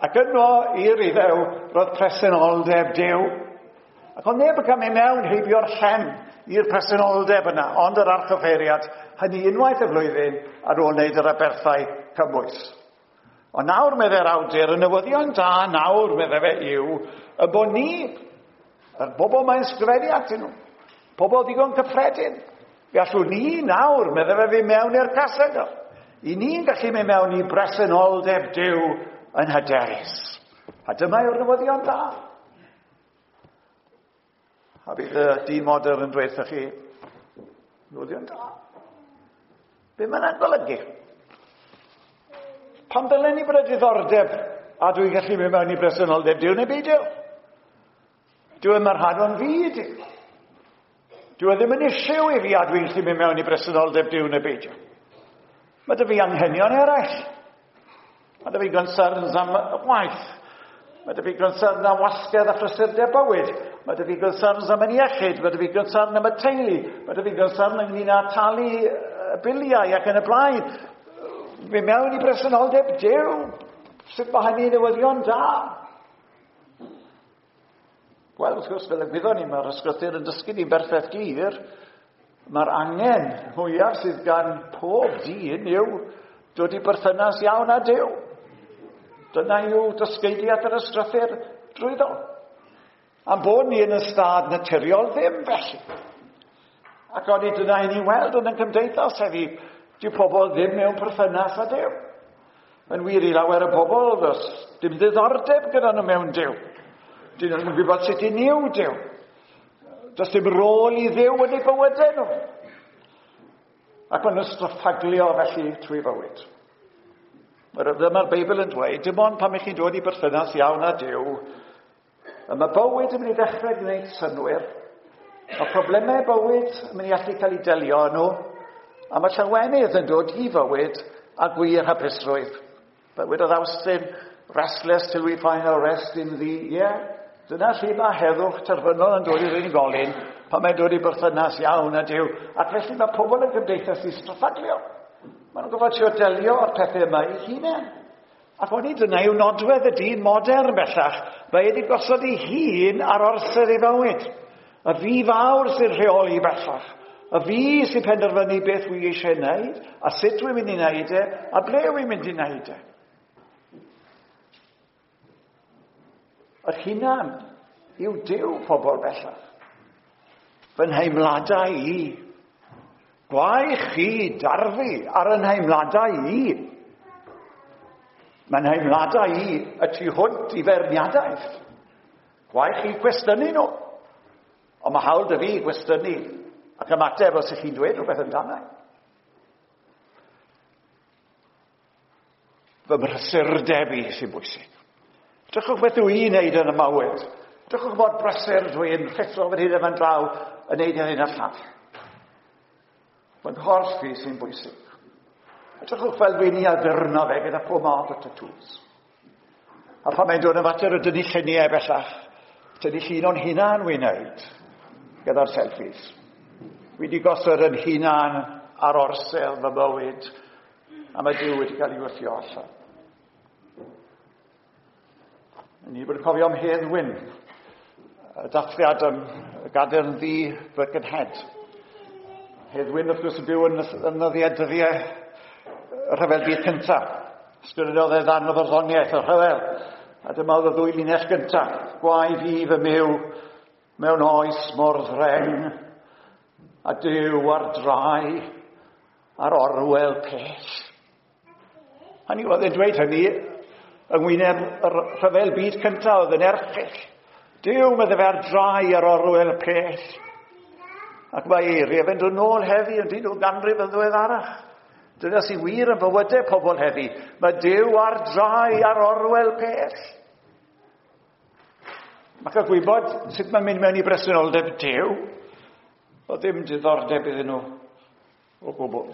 Ac yno i'r Iddew roedd presenoldeb Duw. Ac oedd neb yn cael mynd mewn heibio'r llen i'r presenoldeb yna, ond yr archoffeiriad, hynny unwaith y flwyddyn ar ôl wneud yr aberthau cymwys. Ond nawr, meddai'r awdur, y newyddion da nawr, meddai fe, yw y bod ni, yr bobl mae'n sgrifennu atyn nhw, pobl ddigon cyffredin, fe allwn ni nawr, meddai fe, fi mewn i'r casegr. I ni'n gallu mynd mewn i bresenoldeb Duw yn hyderus. A dyma yw'r newyddion da. A bydd y dyn modern yn dweud chi, newyddion da. Be mae'n golygu? Pam dylen ni bod y diddordeb a dwi'n gallu mynd mewn i bresenoldeb Duw neu beidio? Dyw e'n rhan o'n fyd. Dyw e ddim yn issue i fi a dwi'n gallu mynd mewn i bresenoldeb Duw neu beidio. Mae 'da fi anghenion eraill. Mae 'da fi concerns am waith. Mae 'da fi concerns am wasgedd a phrysurdeb bywyd. Mae 'da fi concerns am yn iechyd. Mae 'da fi concern am y teulu. Mae 'da fi concern ynglyn â talu biliau ac yn y blaen. Fi mewn i bresenoldeb Duw. Sut mae hynny'n newyddion da? Wel, wrth gwrs, fel y gwyddon ni, mae'r ysgrythur yn dysgu ni'n berffaith glir. Mae'r angen mwyaf sydd gan pob dyn yw dod i berthynas iawn â Duw. Dyna yw dysgeidiad yr ysgrythur drwyddo. Am bod ni yn y stad naturiol ddim felly. Ac o'n i dyna i ni weld yn y cymdeithas heddi, dyw pobl ddim mewn perthynas â Duw. Yn wir i lawer o bobl, does dim ddiddordeb gyda nhw mewn Duw. Dyn nhw'n gwybod sut i niw Duw. Does dim rôl i Dduw yn eu bywydau nhw. Ac maen nhw'n straffaglio felly trwy fywyd. Dyma'r Beibl yn dweud, dim ond pan ych chi'n dod i berthynas iawn â Duw, y mae bywyd yn mynd i ddechrau gwneud synnwyr, mae problemau bywyd yn mynd i allu cael eu delio â nhw, a mae llawenydd yn dod i fywyd a gwir hapusrwydd. Bywyd oedd Awstin, restless till we find our rest in thee. Ie, yeah. Dyna lle mae heddwch terfynol yn dod i'r unigolyn pan mae'n dod i berthynas iawn â Duw. Ac felly mae pobl yn gymdeithas i straffaglio. Maen nhw'n gorfod trio delio â'r pethau yma eu hunain. Ac o'n i dyna yw nodwedd y dyn modern bellach. Mae wedi gosod ei hun ar orsedd ei fywyd. Y fi fawr sy'n rheoli bellach. Y fi sy'n penderfynu beth wy eisiau wneud, a sut wy'n mynd i wneud e, a ble wy'n mynd i wneud e. Yr hunan yw Duw pobl bellach. Fy nheimladau i. Gwae chi darfu ar y nheimladau i. Mae nheimladau i y tu hwnt i feirniadaeth. Gwae chi gwestiynu nhw. Ond mae hawl 'da fi gwestiynu ac ymateb os ych chi'n dweud rhywbeth amdano. Fy mhrysurdeb i sy'n bwysig. Drychwch beth dw i'n neud yn y mywyd. Drychwch mor brysur dw i'n rhuthro fan hyn a fan draw yn neud hyn a'r llall. Fy nghorff i sy'n bwysig. Drychwch fel dwi'n i addurno fe gyda pob math o tattoos. A pan mae'n dod yn fater o dynnu lluniau bellach, tynnu llun o'n hunan wy'n neud gyda'r selfies. Wi wedi gosod yn hunan ar orsedd fy mywyd. a mae Duw wedi cael ei wthio allan. Ni wedi cofio am Hedd Wyn, y dathliad am y Gadern Ddu Birkenhead. Hedd Wyn, wrth gwrs, yn byw yn nyddiau dyddiau y rhyfel byd cyntaf. Ysgrifennodd e ddarn o farddoniaeth y rhyfel. A dyma oedd y ddwy linell gyntaf. Gwae fi fy myw mewn oes mor ddreng, a Duw ar drai ar orwel pell. Hynny oedd e'n dweud hynny yng ngwyneb y rhyfel byd cyntaf oedd yn erchyll. Duw medde fe ar drai ar orwel pell. Ac mae eiriau fe'n dod nôl heddi yn dyn nhw ganrif yn ddiweddarach. Dyna sy'n wir yn bywydau pobl heddi. Mae Duw ar drai ar orwel pell. Mae cael gwybod sut mae'n mynd mewn i bresenoldeb Duw, o ddim diddordeb iddyn nhw o gwbl.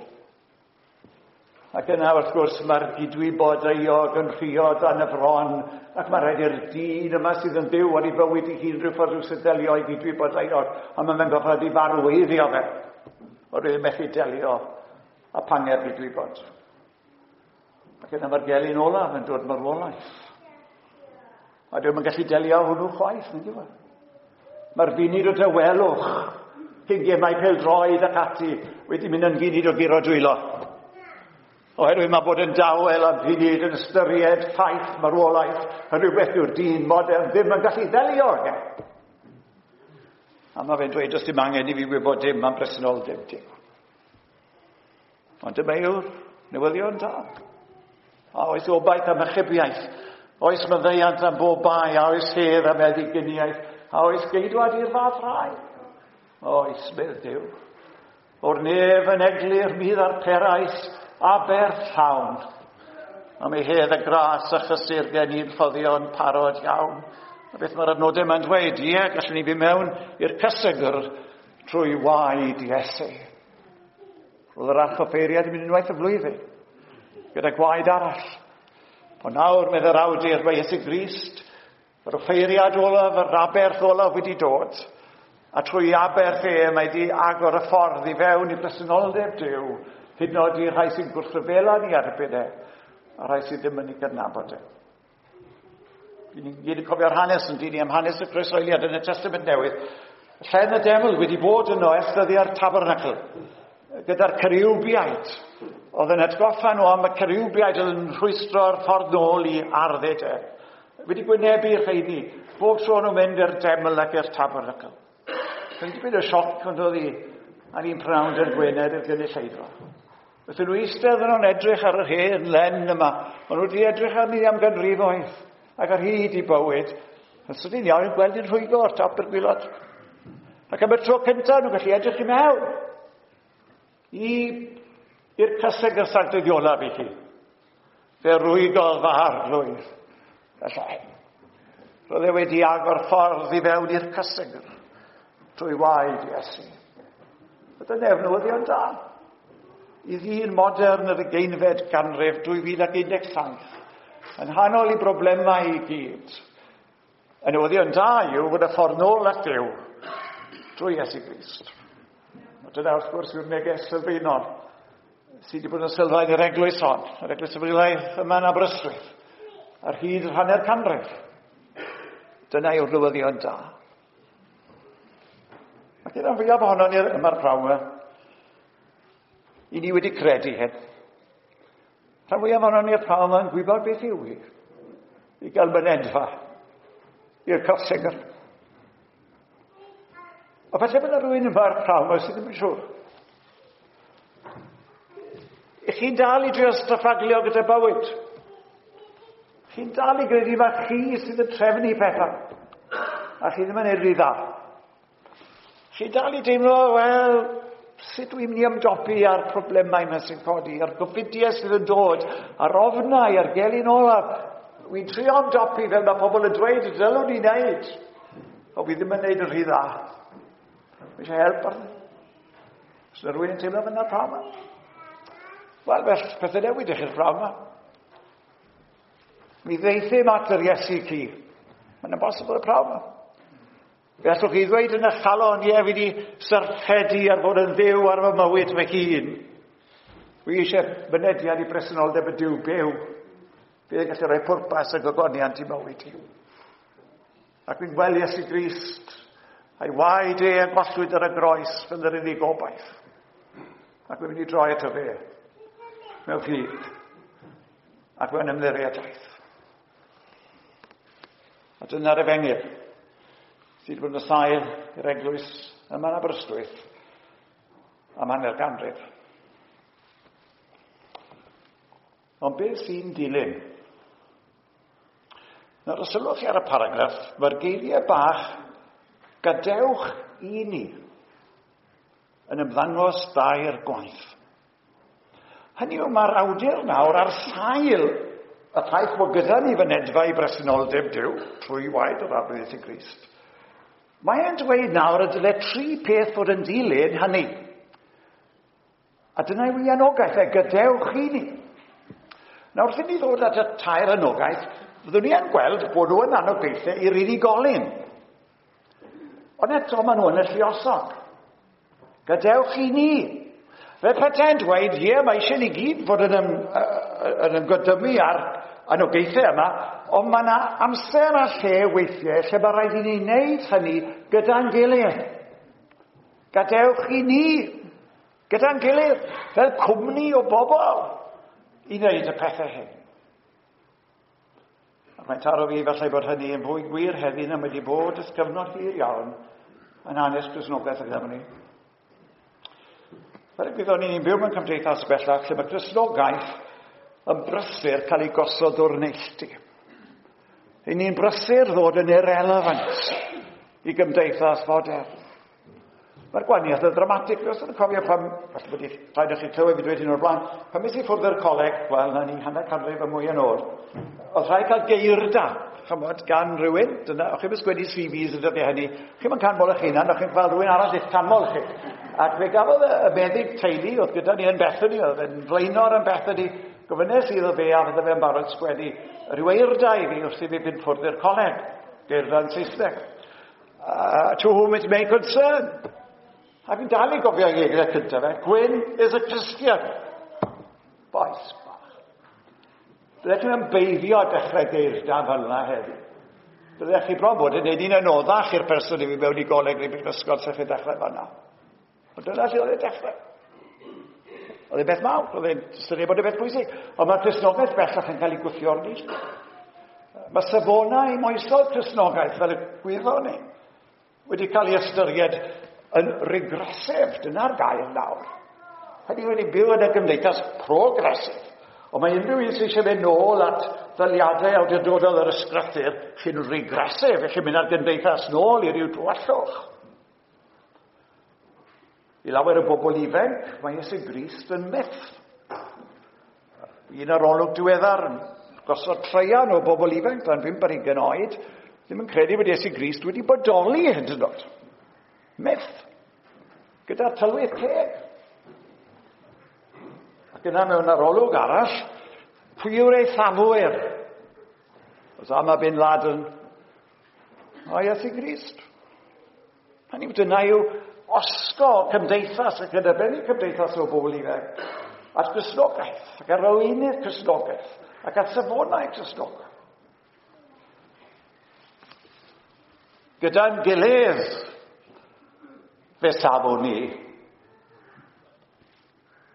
Ac yna, wrth gwrs, mae'r gydwybod euog yn rhuo dan y fron, ac mae rhaid i'r dyn yma sydd yn byw ar ei fywyd ei hun rhyw ffordd rhyw sydd delio i gydwybod euog, a mae'n fe'n gorfod i farweiddio fe. Oherwydd methu delio a panger gydwybod. Ac yna mae'r gelyn olaf yn dod marwolaeth. A dwi'n yn gallu delio hwnnw chwaith, nid yw e? Mae'r funud o dawelwch cyn gemau pêl-droed ac ati wedi mynd yn funud o guro dwylo. Oherwydd mae bod yn dawel am funud yn ystyried ffaith marwolaeth yn rhywbeth yw'r dyn modern ddim yn gallu ddelio ag e. A mae fe'n dweud, does dim angen i fi wybod dim am bresenoldeb Duw. Ond dyma yw'r newyddion da. A oes obaith am achubiaeth? Oes maddeuant am bob bai? A oes hedd am eddyginiaeth? A oes geidwad i'r fath rai? Oes, medd Duw. O'r nef yn eglur mi ddarperais aberth llawn. Am ei hedd y gras a chysur gen i'n ffoddion parod iawn. A beth mae'r adnodau yma'n dweud? Ie, gallwn ni fi mewn i'r cysegr trwy waed Iesu. Roedd yr archoffeiriad yn mynd unwaith y flwyddyn, gyda gwaed arall. Ond nawr, medd yr awdur, mae Iesu Grist, yr offeiriad olaf, yr aberth olaf wedi dod. A trwy aberth e, mae wedi agor y ffordd i fewn i bresenoldeb Duw, hyd yn oed i'r rhai sy'n gwrthryfela ni erbyn e, a rhai sydd ddim yn ei gydnabod e. Ni'n gyd yn cofio'r hanes yn dyn ni am hanes y croeshoeliad yn y Testament Newydd. Llen y deml wedi bod yno ers dyddiau'r tabernacl, gyda'r ceriwbiaid. Oedd yn atgoffa nhw am y ceriwbiaid oedd yn rhwystro'r ffordd nôl i ardd Eden. Wedi gwynebu'r rheini, bob tro nhw'n mynd i'r deml ac i'r tabernacl. Roedd dipyn o sioc ond oedd hi ar un prynhawn dydd Gwener i'r gynulleidfa. Wrth nhw eistedd yno'n edrych ar yr hen len yma, maen nhw wedi edrych arni am ganrifoedd ac ar hyd i bywyd. Yn sydyn iawn yn gweld i'n rhwygo o'r top i'r gwilod. Ac am y tro cyntaf nhw'n gallu edrych i mewn i'r cysegr sanctaidd olaf i chi. Fe rwygodd fy arglwydd y llen. Roedd e wedi agor ffordd i fewn i'r cysegr trwy waed Iesu. A dyna yw'r newyddion da. I ddyn modern yr ugeinfed ganrif 2017, yn nghanol i broblemau i gyd, y newyddion da yw fod y ffordd nôl at Duw drwy Iesu Grist. A dyna wrth gwrs yw'r neges sylfaenol sydd wedi bod yn sylfaen i'r eglwys hon, yr eglwys Efengylaidd yma yn Aberystwyth, ar hyd yr hanner canrif. Dyna yw'r newyddion da. Ac yna'n fwyaf ohono ni yma'r prawn yma, i ni wedi credu hyn. Rhan fwyaf ohono ni'r prawn yma yn gwybod beth yw hi, i gael mynedfa i'r cysegr. A falle bod yna rhywun yma'r prawn yma sydd ddim yn siŵr. I chi'n dal i drio strafaglio gyda bywyd. Chi'n dal i gredu mae chi sydd yn trefnu pethau. A chi ddim yn neud rhy dda. Chi'n dal i deimlo, wel, sut dwi'n mynd i ymdopi â'r problemau yma sy'n codi, a'r gofidiau sydd yn dod, a'r ofnau, a'r gelyn olaf. Wy'n trio ymdopi fel mae pobl yn dweud y dylwn i wneud. Ond fi ddim yn neud yn rhy dda. Mae eisiau help arno. Os yna rhywun yn teimlo fyna prawn yma? Wel, felly, pethau newid i chi'r prawn yma. Mi ddeithim at yr Iesu ci. Mae'n impossible y prawn yma. Fe allwch chi ddweud yn eich calon, ie, fi wedi syrffedu ar fod yn Dduw ar fy mywyd fy hun. Wi eisiau mynediad i bresenoldeb y Duw byw. Fydd yn gallu rhoi pwrpas a gogoniant i mywyd i. Ac fi'n gweld Iesu Grist a'i waed e a gollwyd ar y groes fel yr unig gobaith. Ac fi'n mynd i droi ato fe mewn ffydd ac mewn ymddiriedaeth. A dyna'r efengyl sydd wedi bod yn sail i'r eglwys yma yn Aberystwyth am hanner ganrif. Ond beth sy'n dilyn? Nawr, os sylwch chi ar y paragraff, mae'r geiriau bach gadewch i ni yn ymddangos dair gwaith. Hynny yw, mae'r awdur nawr ar sail y ffaith bod gyda ni fynedfa i bresenoldeb Duw trwy waed yr Arglwydd Iesu Grist. Mae e'n dweud nawr y dyle tri peth fod yn dilyn hynny. A dyna yw ei anogaeth e, gadewch i ni. Nawr, wrth i ni ddod at y tair anogaeth, fyddwn ni yn gweld bod nhw yn anogaethau i'r unigolyn. Ond eto, maen nhw yn y lluosog. Gadewch i ni. Fe petai'n dweud, ie, mae eisiau ni gyd fod yn, ym, yn ymgodymu ar anogaethau yma, ond mae yna amser a lle weithiau lle mae rhaid i ni wneud hynny gyda'n gilydd. Gadewch i ni, gyda'n gilydd, fel cwmni o bobl, i wneud y pethau hyn. Ac mae'n taro fi falle bod hynny yn fwy gwir heddi na wedi bod ys gyfnod hir iawn yn hanes Cristnogaeth y Gymru. Fel y gwyddon ni, ni'n byw mewn cymdeithas bellach lle mae Cristnogaeth yn brysur cael ei gosod o'r neilltu. Ry'n ni'n brysur ddod yn irrelevant i gymdeithas fodern. Mae'r gwahaniaeth yn ddramatig. Os ydych cofio pan, falle bod rhaid i chi clywed fi dweud hyn o'r blaen, pan mes i ffwrdd o'r coleg, wel, na ni hanner canrif a mwy yn ôl, oedd rhaid cael geirda, chymod, gan rhywun, dyna, o'ch chi'n sgwennu CVs yn dyddiau hynny, chi'n canmol eich hunan, o'ch chi'n cael rhywun arall i'ch canmol chi. Ac fe gafodd y meddyg teulu, oedd gyda ni yn Bethany, oedd yn flaenor yn Bethany, gofynnes iddo fe a fydde fe'n barod sgwennu rhyw eirda i fi wrth i fi fynd ffwrdd i'r coleg, geirda yn Saesneg. To whom it may concern. A fi'n dal i gofio ei geiriau cyntaf fe, Gwyn is a Christian. Boes bach. Byddech chi'n ymbeiddio dechrau geirda fel yna heddi. Byddech chi bron bod yn neud un anoddach i'r person i fi mewn i goleg neu brifysgol sef chi'n dechrau fanna. Ond dyna lle oedd e'n dechrau. Oedd e'n beth mawr, oedd e'n syniad bod e'n beth pwysig. Ond mae'r Cristnogaeth bellach yn cael ei gwthio o'r neilltu. Mae safonau moesol Cristnogaeth, fel y gwyddon ni, wedi cael ei ystyried yn regressive. Dyna'r gair nawr. Hynny yw, ni'n byw yn y gymdeithas progressive. Ond mae unrhyw un sydd eisiau mynd nôl at ddaliadau awdurdodol yr ysgrythur, chi'n regressive, chi'n mynd ar gymdeithas nôl i ryw dywallwch. I lawer o bobl ifanc, mae Iesu Grist yn myth. Un arolwg diweddar yn gosod traean o bobl ifanc dan 5 ar 20 oed, ddim yn credu bod Iesu Grist wedi bodoli hyd yn oed. Myth. Gyda tylwyth teg. Ac yna mewn arolwg arall, pwy yw'r eithafwyr? Osama bin Laden. O Iesu Grist. Hynny yw, dyna yw osgo cymdeithas ac yn arbennig cymdeithas o bobl ifanc at Gristnogaeth ac ar arweinydd Cristnogaeth ac at safonau Cristnogaeth. Gyda'n gilydd fe safwn ni.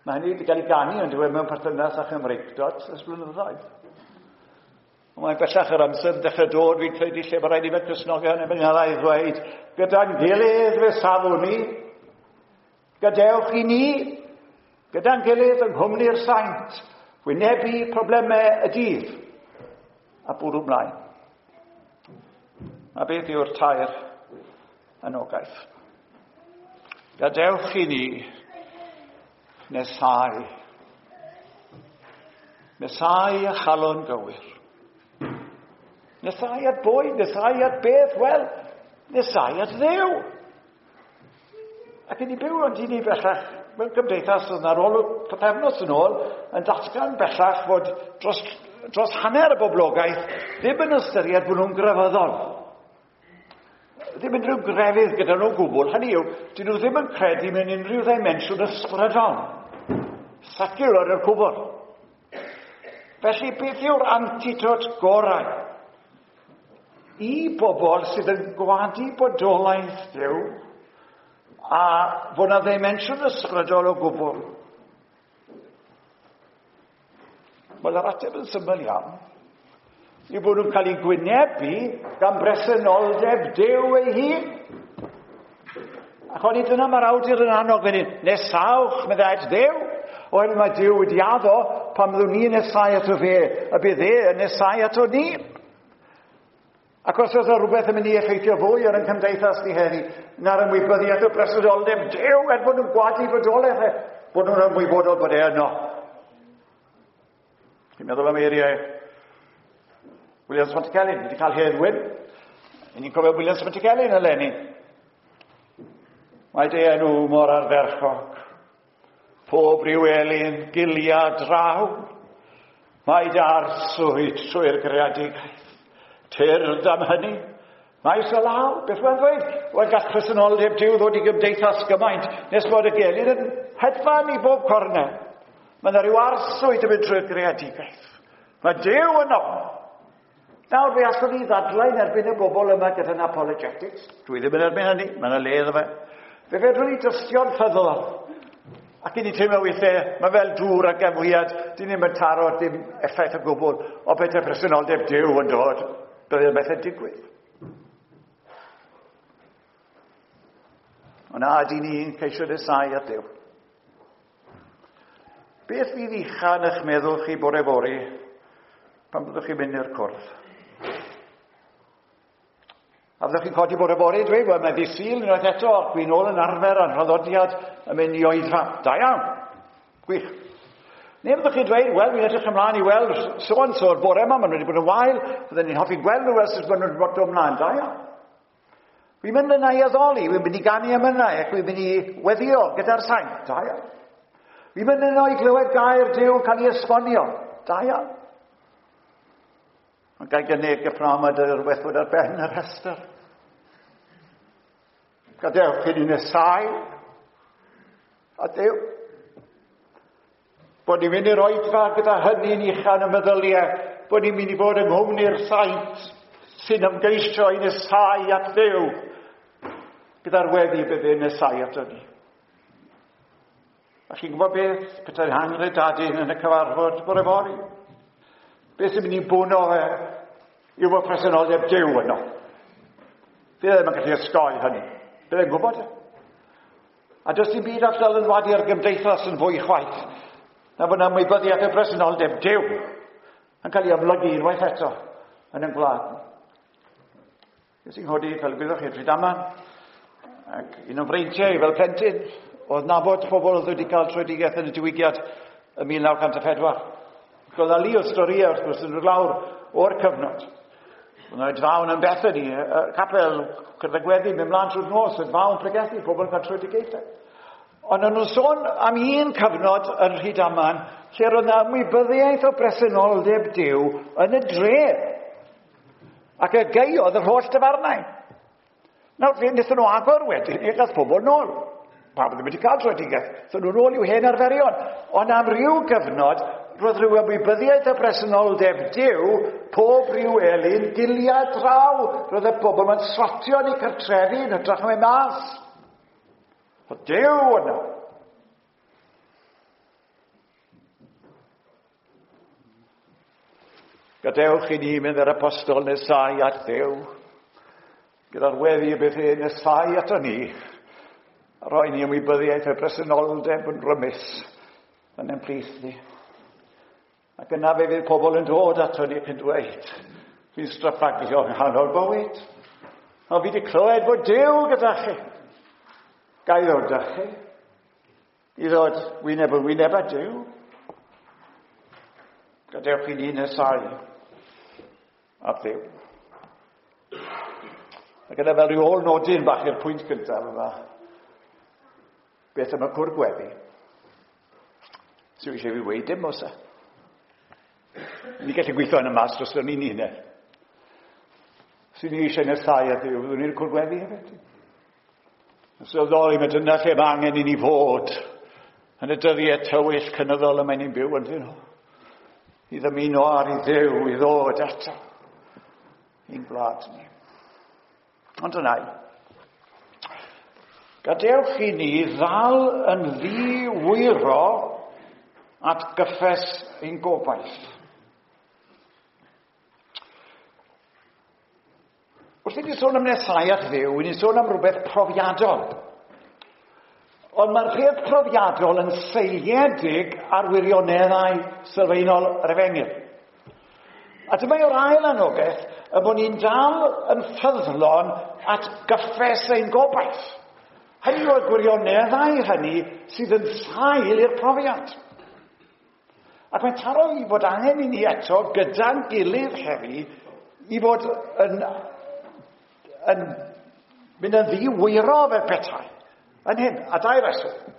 Mae hynny wedi cael ei ganu yn diwedd mewn perthynas â Chymreictod ers blynyddoedd. Ond mae'n bellach yr amser yn dechrau dod, fi'n credu, lle mae rhaid i fe Cristnogion yn mynd i ddweud, gyda'n gilydd fe safwn ni, gadewch i ni, gyda'n gilydd yng nghwmni'r saint, wynebu problemau y dydd, a bwrw mlaen. A beth yw'r tair anogaeth? Gadewch i ni nesau. Nesau a chalon gywir. Nesau at bwyd, nesau at beth, wel, nesau at Dduw. Ac yn i byw ond i ni bellach mewn cymdeithas oedd ar ôl pythefnos yn ôl yn datgan bellach fod dros, dros hanner y boblogaeth ddim yn ystyried bod nhw'n grefyddol. Ddim unrhyw grefydd gyda nhw gwbl. Hynny yw, dyn nhw ddim yn credu mewn unrhyw ddimensiwn ysbrydol. Secular yw'r cwbl. Felly, beth yw'r antidot gorau i bobl sydd yn gwadu bodolaeth Duw a fod na ddimensiwn ysbrydol o gwbl? Wel, yr ateb yn syml iawn yw bod nhw'n cael eu gwynebu gan bresenoldeb Duw ei hun. Ac oni dyna mae'r awdur yn annog fan hyn, nesawch, meddai at Dduw, oherwydd mae Duw wedi addo pan byddwn ni'n nesau ato fe, y bydd e yn nesau ato ni. Ac os oes rhywbeth yn mynd i effeithio fwy ar ein cymdeithas ni heddi, na'r ymwybyddiaeth o bresenoldeb Duw, er bod nhw'n gwadu bodolaeth e, bod nhw'n ymwybodol bod e yno. Chi'n meddwl am eiriau Williams Pantycelyn, wedi cael hedd wyn. I ni'n cofio Williams Pantycelyn eleni. Mae dy enw mor ardderchog. Pob rhyw elyn gilia draw. Mae dy arswyd trwy'r greadigaeth. Tyrd am hynny. Maes o law, beth mae'n dweud? Wel, gall presenoldeb Duw ddod i gymdeithas gymaint nes bod y gelyn yn hedfan i bob cornel. Mae yna rhyw arswyd yn mynd trwy'r greadigaeth. Mae Duw yno. Nawr, fe allwn ni ddadlau yn erbyn y bobl yma gyda'n apologetics. Dwi ddim yn erbyn hynny, mae yna le iddo fe. Fe fedrwn ni dystio'n ffyddlon. Ac i ni teimlo weithiau, mae fel dŵr ac emhwiad, dyn ni'n mynd taro dim effaith o gwbl, o beth y presenoldeb Duw yn dod, byddai'n beth yn digwydd. Ond a ydy ni'n ceisio nesau at Duw? Beth fydd ucha yn eich meddwl chi bore fory pan byddwch chi'n mynd i'r cwrdd? A fyddwch chi'n codi bore fory dweud, wel, mae ddydd Sul unwaith eto, ac dwi'n ôl yn arfer a'n rhaddodiad yn mynd i oedfa. Da iawn. Gwych. Neu fyddwch chi'n dweud, wel, fi'n edrych ymlaen i weld so and so'r bore yma, maen nhw wedi bod yn wael, fydden ni'n hoffi gweld nhw ers maen nhw wedi bod ymlaen. Da iawn. Fi'n mynd yna i addoli, fi'n mynd i ganu emynau, ac fi'n mynd i weddio gyda'r saint. Da iawn. Fi'n mynd yno i glywed gair Duw cael ei esbonio. Da iawn. Ond gael gynnig y pnawn yma dy'r rhywbeth fod ar ben y rhestr. Gadewch i ni nesau a Duw. Bod ni'n mynd i'r oedfa gyda hynny'n uchel y meddyliau, bod ni'n mynd i fod yng nghwmni'r saint sy'n ymgeisio i nesau at Dduw, gyda'r weddi bydd e'n nesau ato ni. A chi'n gwybod beth? Petai'n hangredadun yn y cyfarfod bore fory. Beth sy'n mynd i bwno fe yw bod presenoldeb Duw yno. Fydd e ddim yn gallu osgoi hynny. Bydd e'n gwybod e. A does dim byd all ddylanwadu ar gymdeithas yn fwy chwaith na bod ymwybyddiaeth o bresenoldeb Duw yn cael ei amlygu unwaith eto yn ein gwlad ni. Nes i'n nghodi, fel gwyddoch chi, Rhydaman, ac un o'n freintiau fel plentyn oedd nabod pobl oedd wedi cael tröedigaeth yn y diwygiad ym 1904. Ac oedd 'na lu o storïau wrth gwrs yn dod lawr o'r cyfnod. Oedd 'na oedfaon yn Bethany, y capel cyrraedd gweddi, mynd mlaen trwy'r nos, oedfaon pregethu, pobl yn cael tröedigaethau. Ond o'n nhw'n sôn am un cyfnod yn Rhydaman lle roedd 'na ymwybyddiaeth o bresenoldeb Duw yn y dre. Ac y gaeodd yr holl dafarnau. Nawr, fe wnaethon nhw agor wedyn, i gael pobl nôl. Pawb ddim wedi cael tröedigaeth. So nhw'n ôl i'w hen arferion. Ond am ryw gyfnod, roedd rhyw ymwybyddiaeth o bresenoldeb Duw, pob rhyw elyn, gilia draw. Roedd y bobl mae'n swatio yn eu cartrefi yn hytrach na mynd mas. Oedd Duw yno. Gadewch i ni mynd yr apostol nesau at Dduw, gyda'r weddi y bydd e nesau ato ni, a rhoi ni ymwybyddiaeth y bresenoldeb yn rymus yn ein plith ni. Ac yna fe fydd pobl yn dod ato ni ac yn dweud, fi'n straffagio yng nghanol bywyd, a fi wedi clywed fod Duw gyda chi. Ga i ddod â chi? I ddod wyneb yn wyneb â Duw. Gadewch i ni nesau at Dduw. Ac yna fel rhyw ôl nodyn bach i'r pwynt gyntaf yma, beth am y cwr gweddi? Sy'n eisiau fi weid dim oes e? Ni gallu gweithio yn y mas dros ni'n hunain. Sy'n ni eisiau nesau at Dduw, fyddwn ni'r cwr gweddi hefyd. Yn sylweddoli, mae dyna lle mae angen i ni fod Yn y dyddiau tywyll cynyddol y mae ni'n byw ynddyn nhw. I ddymuno ar i Dduw i ddod eto i'n gwlad ni. Ond yna, gadewch i ni ddal yn ddi-wyro at gyffes ein gobaith. Wrth i ni sôn am nesau at Dduw, i ni'n sôn am rhywbeth profiadol. Ond mae'r peth profiadol yn seiliedig ar wirioneddau sylfaenol yr efengyl. A dyma yw'r ail anogaeth y bod ni'n dal yn ffyddlon at gyffes ein gobaith. Hynny yw'r gwirioneddau hynny sydd yn sail i'r profiad. Ac mae'n taro i fod angen i ni eto gyda'n gilydd heddi i fod yn mynd yn ddi-wyro fel petai. Yn hyn, a dau reswm.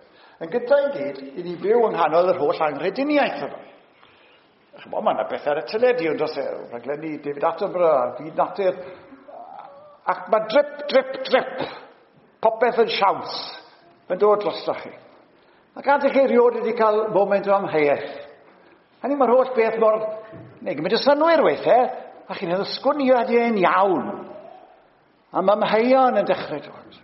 Yn gyntaf i gyd, i ni byw yng nghanol yr holl anghrediniaeth yma. Chymod, mae yna bethau ar y teledu, ond os e, rhaglenni David Attenborough a'r byd natur. Ac mae drip, drip, drip. Popeth yn siawns. Mae'n dod drostoch chi. Ac adych chi erioed wedi cael moment o amheuaeth. Hynny mae'r holl beth mor... Neu gymryd y synwyr weithiau, a chi'n meddwl, sgwn i ydy e'n iawn. A mae amheuon yn dechrau dod.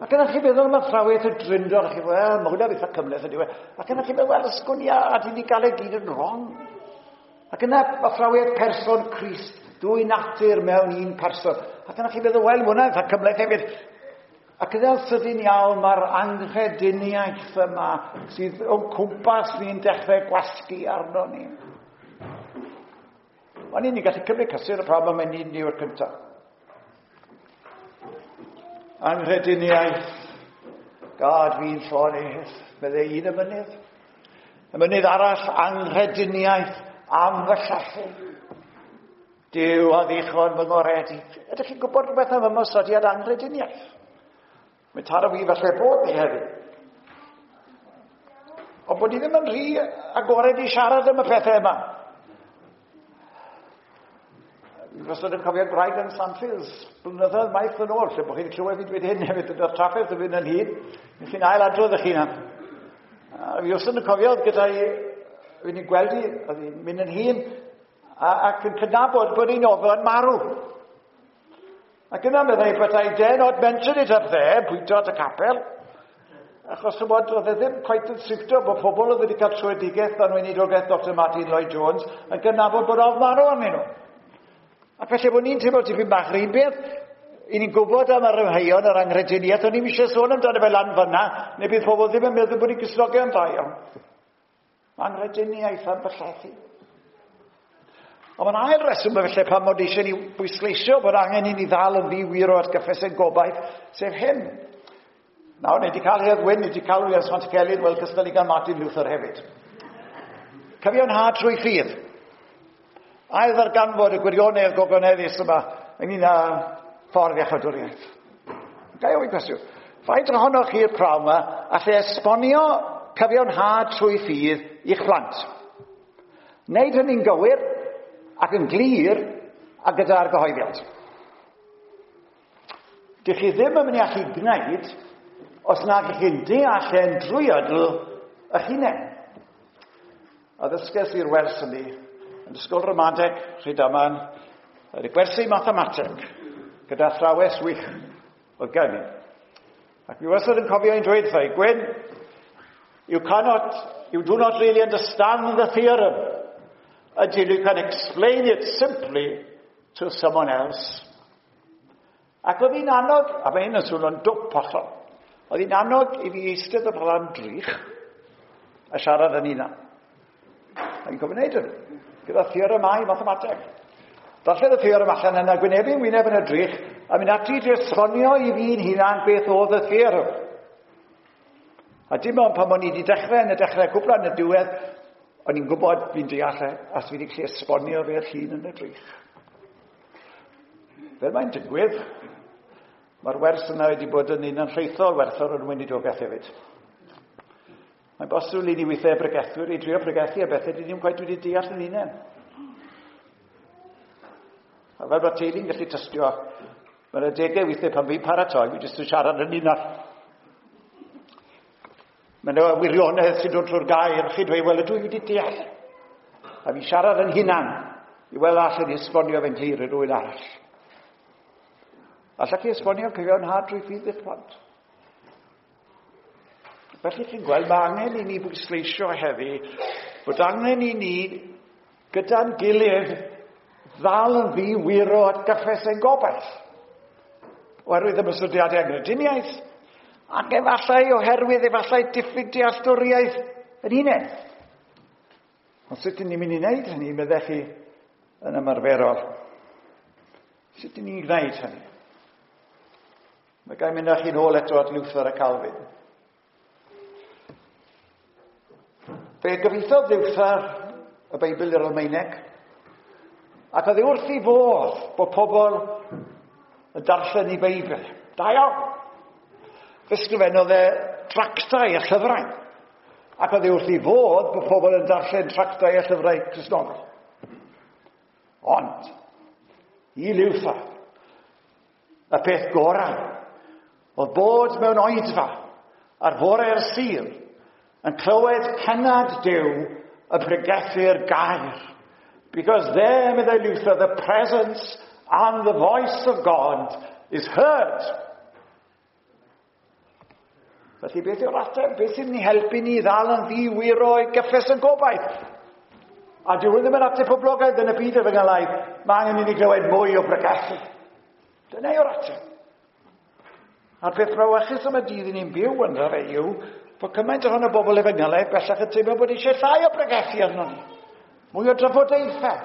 Ac yna chi'n meddwl am athrawiaeth y Drindod, a chi'n meddwl, wel, mae hwnna eitha cymhleth yn diwedd. Ac yna chi'n meddwl, wel, sgwn i a di ni gael ei gyd yn wrong. Ac yna athrawiaeth person Crist, dwy natur mewn un person. Ac yna chi'n meddwl, wel, mae hwnna eitha cymhleth hefyd. Ac yna'n sydyn iawn, mae'r anghrediniaeth yma sydd o'n cwmpas ni'n dechrau gwasgu arno ni. Ond ni'n gallu cymryd cysur y problem yn un yw'r cyntaf. Anghrediniaeth, gad fi'n llonydd, meddai un y mynydd. Y mynydd arall, anghrediniaeth am fy llethu. Duw a ddichon fy ngoredu. Ydych chi'n gwybod rhywbeth am ymosodiad anghrediniaeth? Mae taro fi falle bod ni heddiw. Ond bod ni ddim yn rhy agored i siarad am y pethau yma. Fi wastad yn cofio gwraig yn Sandfields, blynyddoedd maith yn ôl, lle bod chi'n clywed fi dweud hyn hefyd, ydy'r trafferth yn fynd yn hyn, chi'n ail adrodd eich hunan. A fi wastad yn cofio gyda'i, fi'n ei gweld hi, oedd hi'n mynd yn hyn, ac yn cydnabod bod hi'n ofyn marw. Ac yna meddai, but I dare not mention it up there, pwyntio at y capel, achos chymod, oedd e ddim quite yn siwtio bod pobl oedd wedi cael tröedigaeth dan weinidogaeth Dr Martin Lloyd Jones yn gydnabod bod ofn marw arnyn nhw. Ac felly bod ni'n teimlo tipyn bach yr un beth, i ni'n gwybod am yr amheuon, yr anghrediniaeth, o'n i'n eisiau sôn amdano fe lan fyna, neu bydd pobl ddim yn meddwl bod ni'n Gristnogion da iawn. Anghrediniaeth am byllethu. Ond mae'n ail reswm felly pam mod eisiau ni bwysleisio bod angen i ni ddal yn ddi-wir o atgyffes ein gobaith, sef hyn. Nawr, ni wedi cael Hedd Wyn, ni wedi cael Williams Pantycelyn, wel, cystal i gael Martin Luther hefyd. Cyfiawnhad trwy ffydd. Ail ddarganfod y gwirionedd gogoneddus yma ynglyn â ffordd iachawdwriaeth. Ga i ofyn cwestiwn? Faint ohonoch chi'r prawn yma allai esbonio cyfiawnhad trwy ffydd i'ch plant? Wneud hynny'n gywir ac yn glir a gyda argyhoeddiad. Dych chi ddim yn mynd i allu gwneud os nag ych chi'n deall e'n drwyadl eich hunain. A ddysges i'r wers hynny yn ysgol ramadeg Rhydaman, oedd y gwersi mathemateg gyda athrawes wych oedd gen i. Ac mi wastad yn cofio un dweud wrtha i, Gwyn, you cannot, you do not really understand the theorem until you can explain it simply to someone else. Ac oedd hi'n annog, a mae hyn yn swnio'n dwp hollol, oedd hi'n annog i fi eistedd o flaen drych a siarad yn hunan. A fi'n cofio wneud hyn, gyda theoremau mathemateg. Darllen y theorem allan yna, gwynebu'n wyneb yn y drych, a mynd ati i esbonio i fi'n hunan beth oedd y theorem. A dim ond pan o'n i wedi dechrau yn y dechrau cwpla yn y diwedd, o'n i'n gwybod fi'n deall e, a fi wedi gallu esbonio fe'r llun yn y drych. Fel mae'n digwydd, mae'r wers yna wedi bod yn un anrhaethol werthfawr yn weinidogaeth hefyd. Mae'n bosibl i ni weithiau bregethwyr i drio pregethu a bethau di ddim cweit wedi deall yn hunain. A fel bod teulu'n gallu tystio, mae'n adegau weithiau pan fi'n paratoi, fi jyst yn siarad yn hunan. Mae yna wirionedd sy'n dod trwy'r gair, chi'n dweud, wel, ydw i wedi deall. A fi siarad yn hunan i weld allan i esbonio fe'n glir i rywun arall. Allech chi esbonio cyfiawnhad drwy ffydd i'ch plant? Felly chi'n gweld, mae angen i ni bwysleisio heddi bod angen i ni gyda'n gilydd ddal yn ddi-wiro at gyffes ein gobaith. Oherwydd ymosodiadau angrediniaeth, ac efallai oherwydd efallai diffyg dealltwriaeth yn hunain. Ond sut ydyn ni'n mynd i wneud hynny, meddech chi, yn ymarferol? Sut ydyn ni'n gwneud hynny? Mae gael mynd â chi'n ôl eto at Luther a Calvin. Fe gyfieithodd Luther y Beibl i'r Almaeneg, ac oedd e wrth ei fodd bod pobl yn darllen ei Beibl. Da iawn! Fe sgrifennodd e tractau a llyfrau, ac oedd e wrth ei fodd bod pobl yn darllen tractau a llyfrau Cristnogol. Ond, i Luther, Y peth gorau oedd bod mewn oedfa ar fore'r Sul yn clywed cennad Duw y pregethu'r gair. Because there, meddai Luther, the presence and the voice of God is heard. Felly beth yw'r ateb? Beth sy'n ni helpu ni ddal yn ddi-wiro i gyffes yn gobaith? A dyw hwn ddim yn ateb poblogaidd yn y byd efengylaidd. Mae angen i ni glywed mwy o bregethu. Dyna yw'r ateb. A'r peth brawychus am y dydd i ni'n byw ynddo fe yw bod cymaint ohono bobl efengylaidd bellach yn teimlo bod eisiau llai o bregethu arno ni. Mwy o drafodaethau.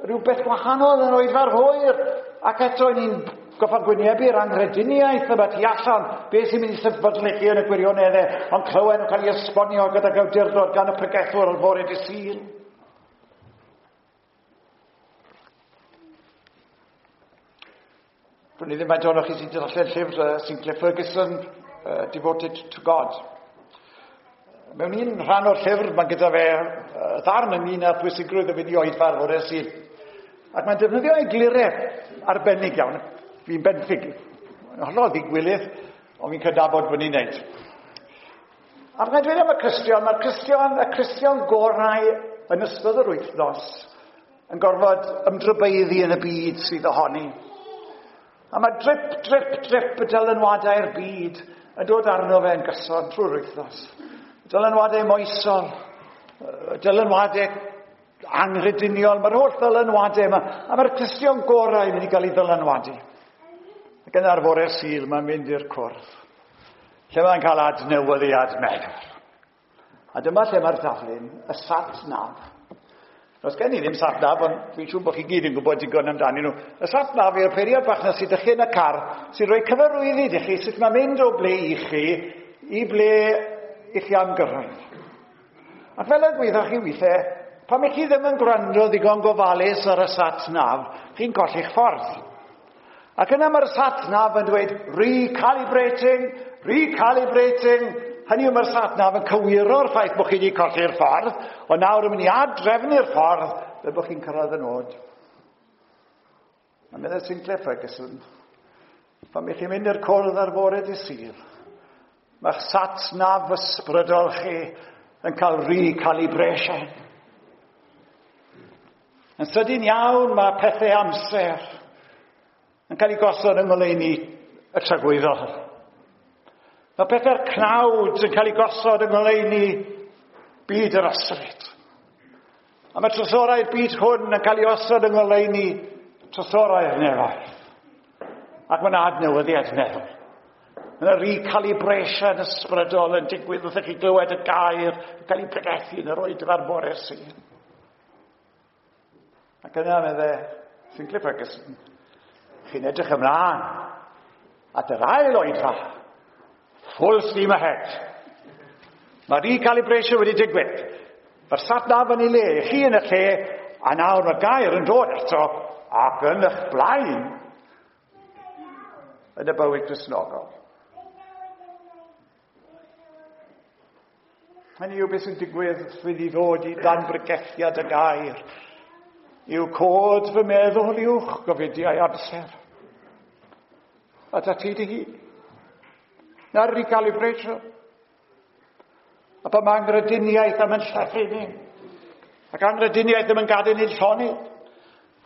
Rhywbeth gwahanol yn oedfa'r hwyr. Ac eto ni'n goffa gwynebu'r anghrediniaeth yma tu allan, beth sy'n mynd i sefydlu chi yn y gwirioneddau, ond clywed nhw'n cael ei esbonio gydag awdurdod gan y pregethwr ar fore dydd Sul. Dwn i ddim faint ohonoch chi sy'n darllen llyfr Sinclair Ferguson, Devoted to God. Mewn un rhan o'r llyfr, mae gyda fe ddarn ynglyn â pwysigrwydd y fynd i oedfa ar fore Sul. Ac mae'n defnyddio egluredd arbennig iawn. Fi'n benthyg. Yn hollol ddigwilydd, ond fi'n cydnabod bod ni'n neud. A mae'n dweud am y Cristion, mae'r Cristion, y Cristion gorau yn ystod yr wythnos yn gorfod ymdrybeiddi yn y byd sydd ohoni. A mae drip, drip, drip y dylanwadau'r byd yn dod arno fe yn gyson trwy'r wythnos. Dylanwadau moesol, dylanwadau anghrediniol, mae'r holl ddylanwadau yma, a mae'r Cristion gorau yn mynd i gael ei ddylanwadu. Ac yn ar fore Sul, mae'n mynd i'r cwrdd, lle mae'n cael adnewyddiad meddwl. A dyma lle mae'r daflun, y sat nav. Does gen i ddim sat nav, ond dwi'n siŵr bod chi gyd yn gwybod digon amdanyn nhw. Y sat nav yw'r peiriant bach na sydd chi yn y car, sy'n rhoi cyfarwyddyd i chi sut mae'n mynd o ble i chi i ble i chi am gyrraedd. Ac fel y gwyddoch chi weithiau, pan i chi ddim yn gwrando ddigon gofalus ar y sat nav, chi'n colli'ch ffordd. Ac yna mae'r sat nav yn dweud recalibrating, recalibrating. Hynny yw mae'r sat nav yn cywiro'r ffaith bod chi wedi colli'r ffordd, ond nawr yn mynd i ad-drefnu'r ffordd fel bod chi'n cyrraedd y nod. A meddai Sinclair Ferguson, pan ych chi'n mynd i'r cwrdd ar fore dy Sul, mae'ch sat nav ysbrydol chi yn cael recalibration. Yn sydyn iawn mae pethau amser yn cael ei gosod yng ngoleuni y tragwyddol. Mae pethau'r cnawd yn cael ei gosod yng ngoleuni byd yr ysbryd. A mae trysorau'r byd hwn yn cael ei osod yng ngoleuni trysorau'r nefoedd. Ac mae'n adnewyddiad meddwl. Mae yna recalibration ysbrydol yn digwydd wrth i chi glywed y gair yn cael ei pregethu yn yr oedfa'r bore Sul. Ac yna medde Sinclair Ferguson, chi'n edrych ymlaen at yr ail oedfa. Full steam ahead. Mae recalibration wedi digwydd. Mae'r sat nav yn ei le, chi yn y lle, a nawr mae'r gair yn dod eto ac yn eich blaen yn y bywyd Cristnogol. Hynny yw beth sy'n digwydd wrth i ni ddod i dan bregethiad y gair. Yw cod fy meddwl uwch gofidiau amser. A ta ti dy hun. Na'r recalibration. A pan mae angrediniaeth am yn llethu ni. Ac angrediniaeth ddim yn gadael ni'n llonydd.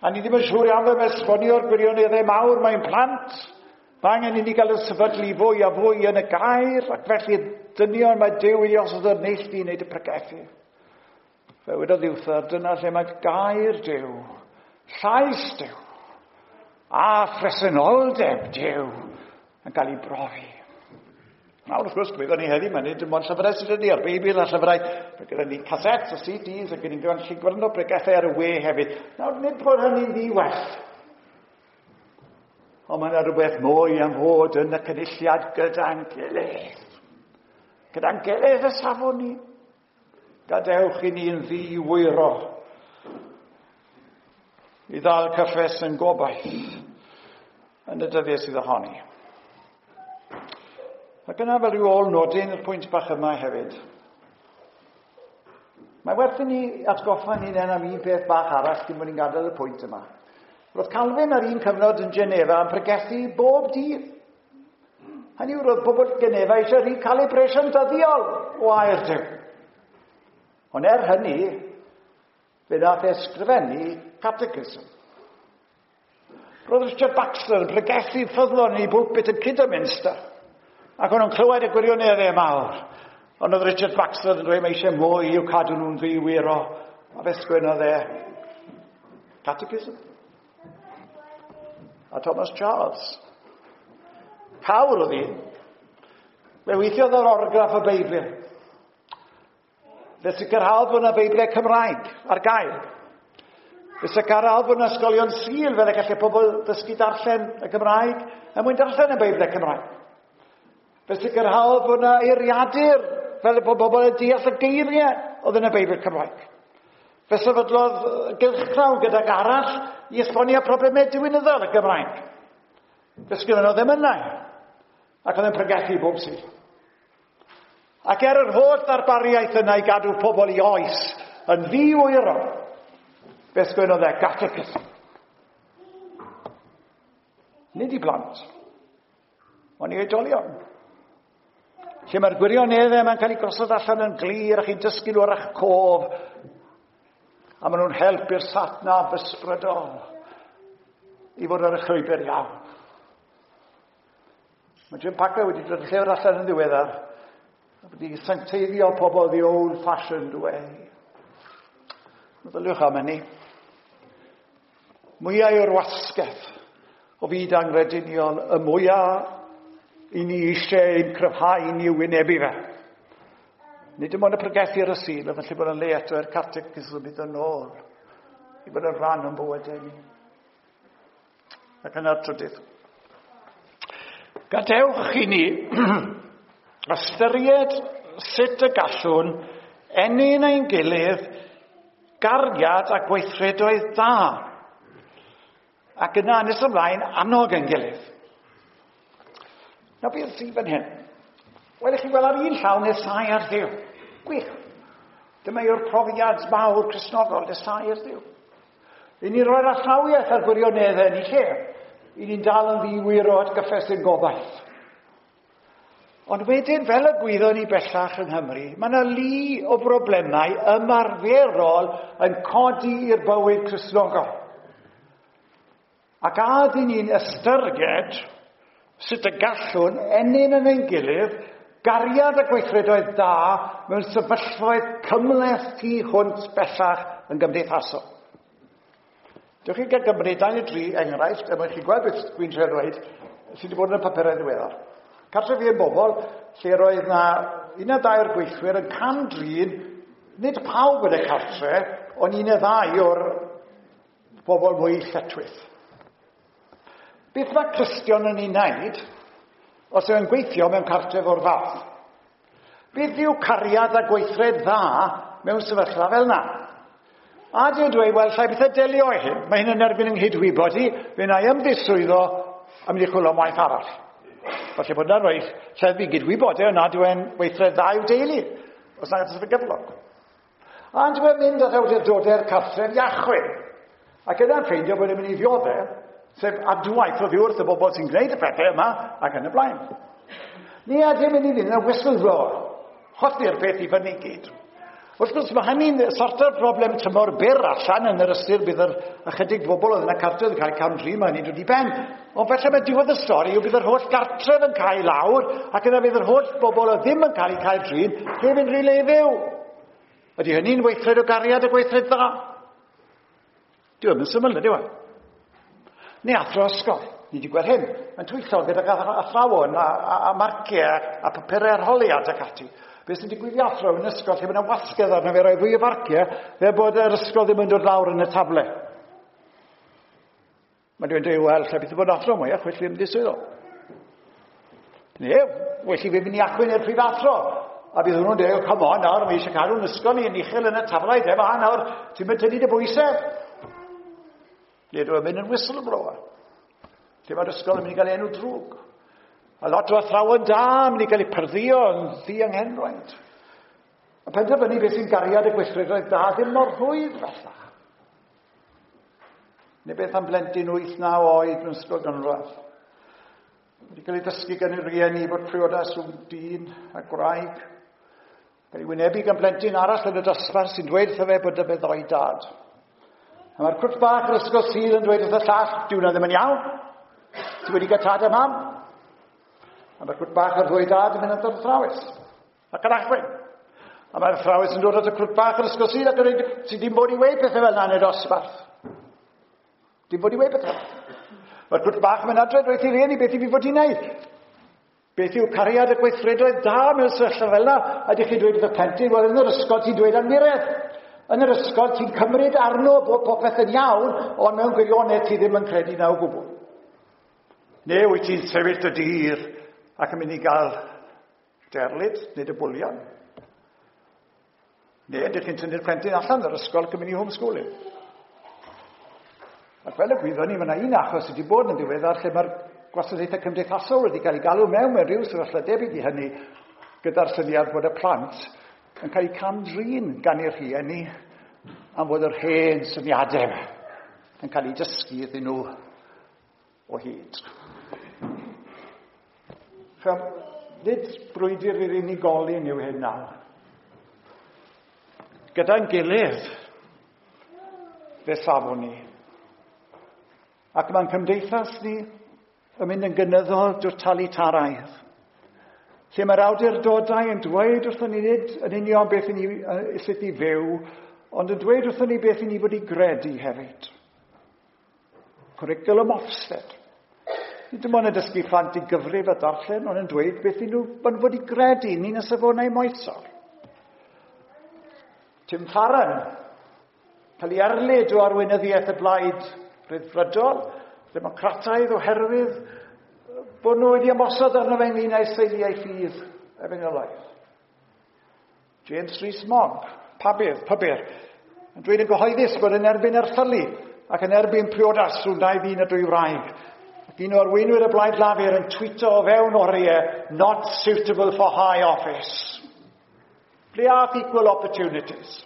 A ni ddim yn siŵr iawn fel esbonio'r gwirioneddau mawr mae'n plant. Mae angen i ni gael y sefydlu fwy a fwy yn y gair, ac felly dynion mae Duw i osod o'r neilltu i wneud y pregethu. Fe wedodd Iwtha, dyna lle mae gair Duw, llais Duw, a phresenoldeb Duw yn cael ei brofi. Nawr, wrth gwrs, gwyddon ni heddi, mae nid dim ond llyfrau sydd ni, a'r Beibl a llyfrau, mae gyda ni cassettes a CDs, ac ni'n gallu gwrando pregethau ar y we hefyd. Nawr, nid bod hynny'n ddiwell. Ond mae yna rhywbeth mwy am fod yn y cynulliad gyda'n gilydd. Gyda'n gilydd y safon ni. Gadewch i ni'n ddiwyro i ddal cyffes yn gobaith yn y dyddiau sydd ohoni. Ac yna fel rhyw ôl nodyn i'r pwynt bach yma hefyd. Mae werth i ni atgoffa ni'n en am un peth bach arall cyn bod ni'n gadael y pwynt yma. Roedd Calvin ar un cyfnod yn Geneva yn pregethu bob dydd. Hynny yw, roedd pobl Geneva eisiau recalibration dyddiol o air Duw. Ond er hynny, fe nath e ysgrifennu catechism. Roedd Richard Baxter yn pregethu ffyddlon yn ei bwlpit yn Kidderminster. Ac o'n nhw'n clywed y gwirioneddau mawr. Ond oedd Richard Baxter yn dweud mae eisiau mwy i'w cadw nhw'n ddiwyro. A fe sgwennodd e Catechism. A Thomas Charles. Cawr oedd un. Fe weithiodd yr orgraff y Beibl. Fe sicrhaodd bod yna Beiblau Cymraeg ar gael. Fe sicrhaodd bod yna ysgolion Sul fel y gallai pobl ddysgu darllen y Gymraeg er mwyn darllen y Beiblau Cymraeg. Fe sicrhaodd bod yna eiriadur fel y bod bobl yn deall y geiriau oedd yn y Beibl Cymraeg. Fe sefydlodd gylchgrawn gydag arall i esbonio problemau diwinyddol y Gymraeg. Fe sgwennodd emynau ac oedd yn pregethu bob Sul. Ac er yr holl ddarpariaeth yna i gadw pobl i oes yn ddiwyro, fe sgwennodd e catechism. Nid i blant, ond i oedolion. Lle mae'r gwirioneddau yma'n cael ei gosod allan yn glir a chi'n dysgu nhw ar eich cof, a maen nhw'n helpu'r satnaf ysbrydol i fod ar y llwybr iawn. Mae Jim Packer wedi dod y llyfr allan yn ddiweddar a wedi sancteiddio pobl the old-fashioned way. Meddyliwch am hynny. Mwyau o'r wasgedd o fyd angrediniol, y mwyaf i ni eisiau ein cryfhau ni wynebu fe. Nid dim ond y pregethu ar y Sul, a felly bod yn le eto i'r catechism i ddod yn ôl, i fod yn rhan o'n bywydau ni. Ac yna'r trydydd. Gadewch i ni ystyried sut y gallwn ennyn ein gilydd gariad a gweithredoedd da. Ac yna, nes ymlaen, annog ein gilydd. Nawr, beth sydd fan hyn? Wel, i chi gweld ar un llaw nesau ar Dduw. Gwych. Dyma yw'r profiad mawr Cristnogol, nesau ar Dduw. I ni roi'r athrawiaeth a'r gwirioneddau yn ei lle. I ni'n dal yn ddiwyro at gyffes ein gobaith. Ond wedyn, fel y gwyddon ni bellach yng Nghymru, mae yna lu o broblemau ymarferol yn codi i'r bywyd Cristnogol. Ac a ydyn ni'n ystyried sut y gallwn ennyn yn ein gilydd gariad a gweithredoedd da mewn sefyllfaoedd cymhleth tu hwnt bellach yn gymdeithasol. Dewch chi gael gymryd dau neu dri enghraifft, er mwyn chi gweld beth dwi'n trio dweud, sydd wedi bod yn y papurau ddiweddar. Cartref un bobl, lle roedd na un neu ddau o'r gweithwyr yn cam-drin, nid pawb yn y cartre, ond un neu ddau o'r bobl mwy lletchwith. Beth mae Cristion yn ei wneud os yw'n gweithio mewn cartref o'r fath? Beth yw cariad a gweithred dda mewn sefyllfa fel yna? A dwi'n dweud, wel, llai beth y delio i hyn. Mae hyn yn erbyn yng nghydwybod i, fe wna i ymddiswyddo a mynd i chwilio am waith arall. Falle bod yna rhoi lleddfu gydwybod e, nad yw'n weithred dda i'w deulu, os nag ydych gyflog. A dwi'n mynd at awdurdodau'r cartref i achwyn. Ac yna'n ffeindio bod e'n mynd i ddioddef, sef adwaith oddi wrth y bobl sy'n gwneud y pethau yma ac yn y blaen. Ni a dim mynd i fynd yn whistleblower. Chwythu'r peth i fyny gyd. Wrth gwrs, mae hynny'n sorto'r broblem tymor byr allan yn yr ystyr bydd yr ychydig bobl oedd yn y cartref yn cael eu cam-drin, mae hynny'n dod i ben. Ond felly mae diwedd y stori yw bydd yr holl gartref yn cael lawr ac yna bydd yr holl bobl oedd ddim yn cael eu cael drin heb unrhyw le i fyw. Ydy hynny'n weithred o gariad a gweithred dda? Dyw e ddim yn syml, ydyw e? Neu athro ysgol. Ni wedi gweld hyn. Mae'n twyllo gydag athrawon a marciau a papurau arholiad ac ati. Beth sy'n digwydd i athro yn ysgol lle mae yna wasgedd arno fe roi fwy o farciau fel bod yr ysgol ddim yn dod lawr yn y tafle. Mae rhywun dweud, wel, lle bydd bod yn athro mwyach, felly ddim diswyddo. Neu, well i fi fynd i achwyn i'r prif athro. A bydd hwnnw'n dweud, come on nawr, mae eisiau cadw'n ysgol ni yn uchel yn y taflau, de fa nawr, ti'n mynd tynnu dy bwysau. Neu dwi'n mynd yn whistleblower. Lle mae'r ysgol yn mynd i gael enw drwg. A lot o athrawon da yn mynd i gael eu pyrddio yn ddianghenraid. A penderfynu beth sy'n gariad y gweithredoedd da ddim mor rhwydd bellach. Neu beth am blentyn 8-9 oed mewn ysgol gynradd. Wedi cael ei ddysgu gan ei rieni bod priodas rhwng dyn a gwraig. Cael ei wynebu gan blentyn arall yn y dosbarth sy'n dweud wrtho fe bod y fe ddoi dad. A mae'r cwrt bach yr ysgol Sul yn dweud wrth y llall, dyw hwnna ddim yn iawn. Ti wedi cael tad a mam. A mae'r cwrt bach yr ddwy dad yn mynd at yr athrawes. Ac yn achwyn. A mae'r athrawes yn dod at y cwrt bach yr ysgol Sul ac yn dweud, ti ddim bod i weud pethau fel yna yn y dosbarth. Dim bod i weud pethau. Mae'r cwrt bach yn mynd adre, dweud i rieni beth i fi fod i wneud. Beth yw cariad y gweithredoedd da mewn sefyllfa fel yna? Ydych chi'n dweud wrth y plentyn, wel yn yr ysgol ti'n dweud anwiredd. Yn yr ysgol ti'n cymryd arno bod popeth yn iawn, ond mewn gwirionedd ti ddim yn credu na o gwbl. Neu wyt ti'n sefyll dy dir ac yn mynd i gael derlid neu dy bwlion. Neu ydych chi'n tynnu'r plentyn allan o'r ysgol ac yn mynd i homeschooling. Ac fel y gwyddon ni, mae yna un achos wedi bod yn ddiweddar lle mae'r gwasanaethau cymdeithasol wedi cael ei galw mewn mewn rhyw sefyllfa debyg i hynny gyda'r syniad bod y plant yn cael eu cam-drin gan eu rhieni am fod yr hen syniadau yn cael eu dysgu iddyn nhw o hyd. Chym, nid brwydr i'r unigolyn yw hyn nawr. Gyda'n gilydd, fe safwn ni. Ac mae'n cymdeithas ni yn mynd yn gynyddol dotalitaraidd. Lle mae'r awdurdodau yn dweud wrthon ni nid yn union beth i ni, sut i fyw, ond yn dweud wrthon ni beth i ni fod i gredu hefyd. Cwricwlwm Ofsted. Nid dim ond yn dysgu plant i gyfrif a darllen, ond yn dweud beth i nhw yn fod i gredu, ni'n y safonau moesol. Tim Farron, cael ei erlid o arweinyddiaeth y blaid Rhyddfrydol, democrataidd oherwydd bod nhw wedi ymosod arno fe ynglyn â'i seiliau ffydd efengylaidd. James Rees-Mogg, pabydd, pybyr, yn dweud yn gyhoeddus bod yn erbyn erthylu ac yn erbyn priodas rhwng dau ddyn a dwy wraig. Ac un o arweinwyr y Blaid Lafur yn tweeto o fewn oriau, not suitable for high office. Ble ath equal opportunities?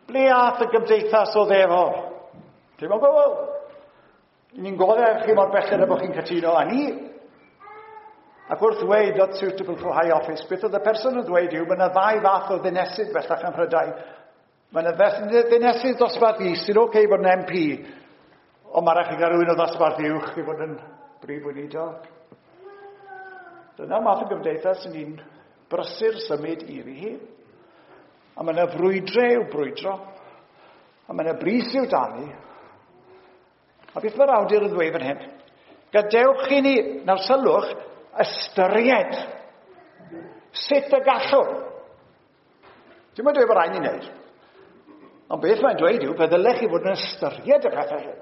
Ble ath y gymdeithas o ddefol? Dim o gwbl. Ni'n goddef chi mor belled â bod chi'n cytuno â ni. Ac wrth ddweud not suitable for high office, beth oedd y person yn ddweud yw, mae yna ddau fath o ddinesydd bellach ym Mhrydain. Mae yna ddinesydd dosbarth is sy'n oce okay bod yn MP, ond mae rhaid chi gael rhywun o ddosbarth uwch i fod yn brif weinidog. Dyna math o gymdeithas sy'n ni'n brysur symud iddi hi. A mae yna frwydrau i'w brwydro. A mae yna bris i'w dalu. A beth mae'r awdur yn ddweud fan hyn? Gadewch i ni, nawr sylwch, ystyried sut y gallwn. Dim ond dweud bod rhaid ni wneud. Ond beth mae'n dweud yw, fe ddylech chi fod yn ystyried y pethau hyn.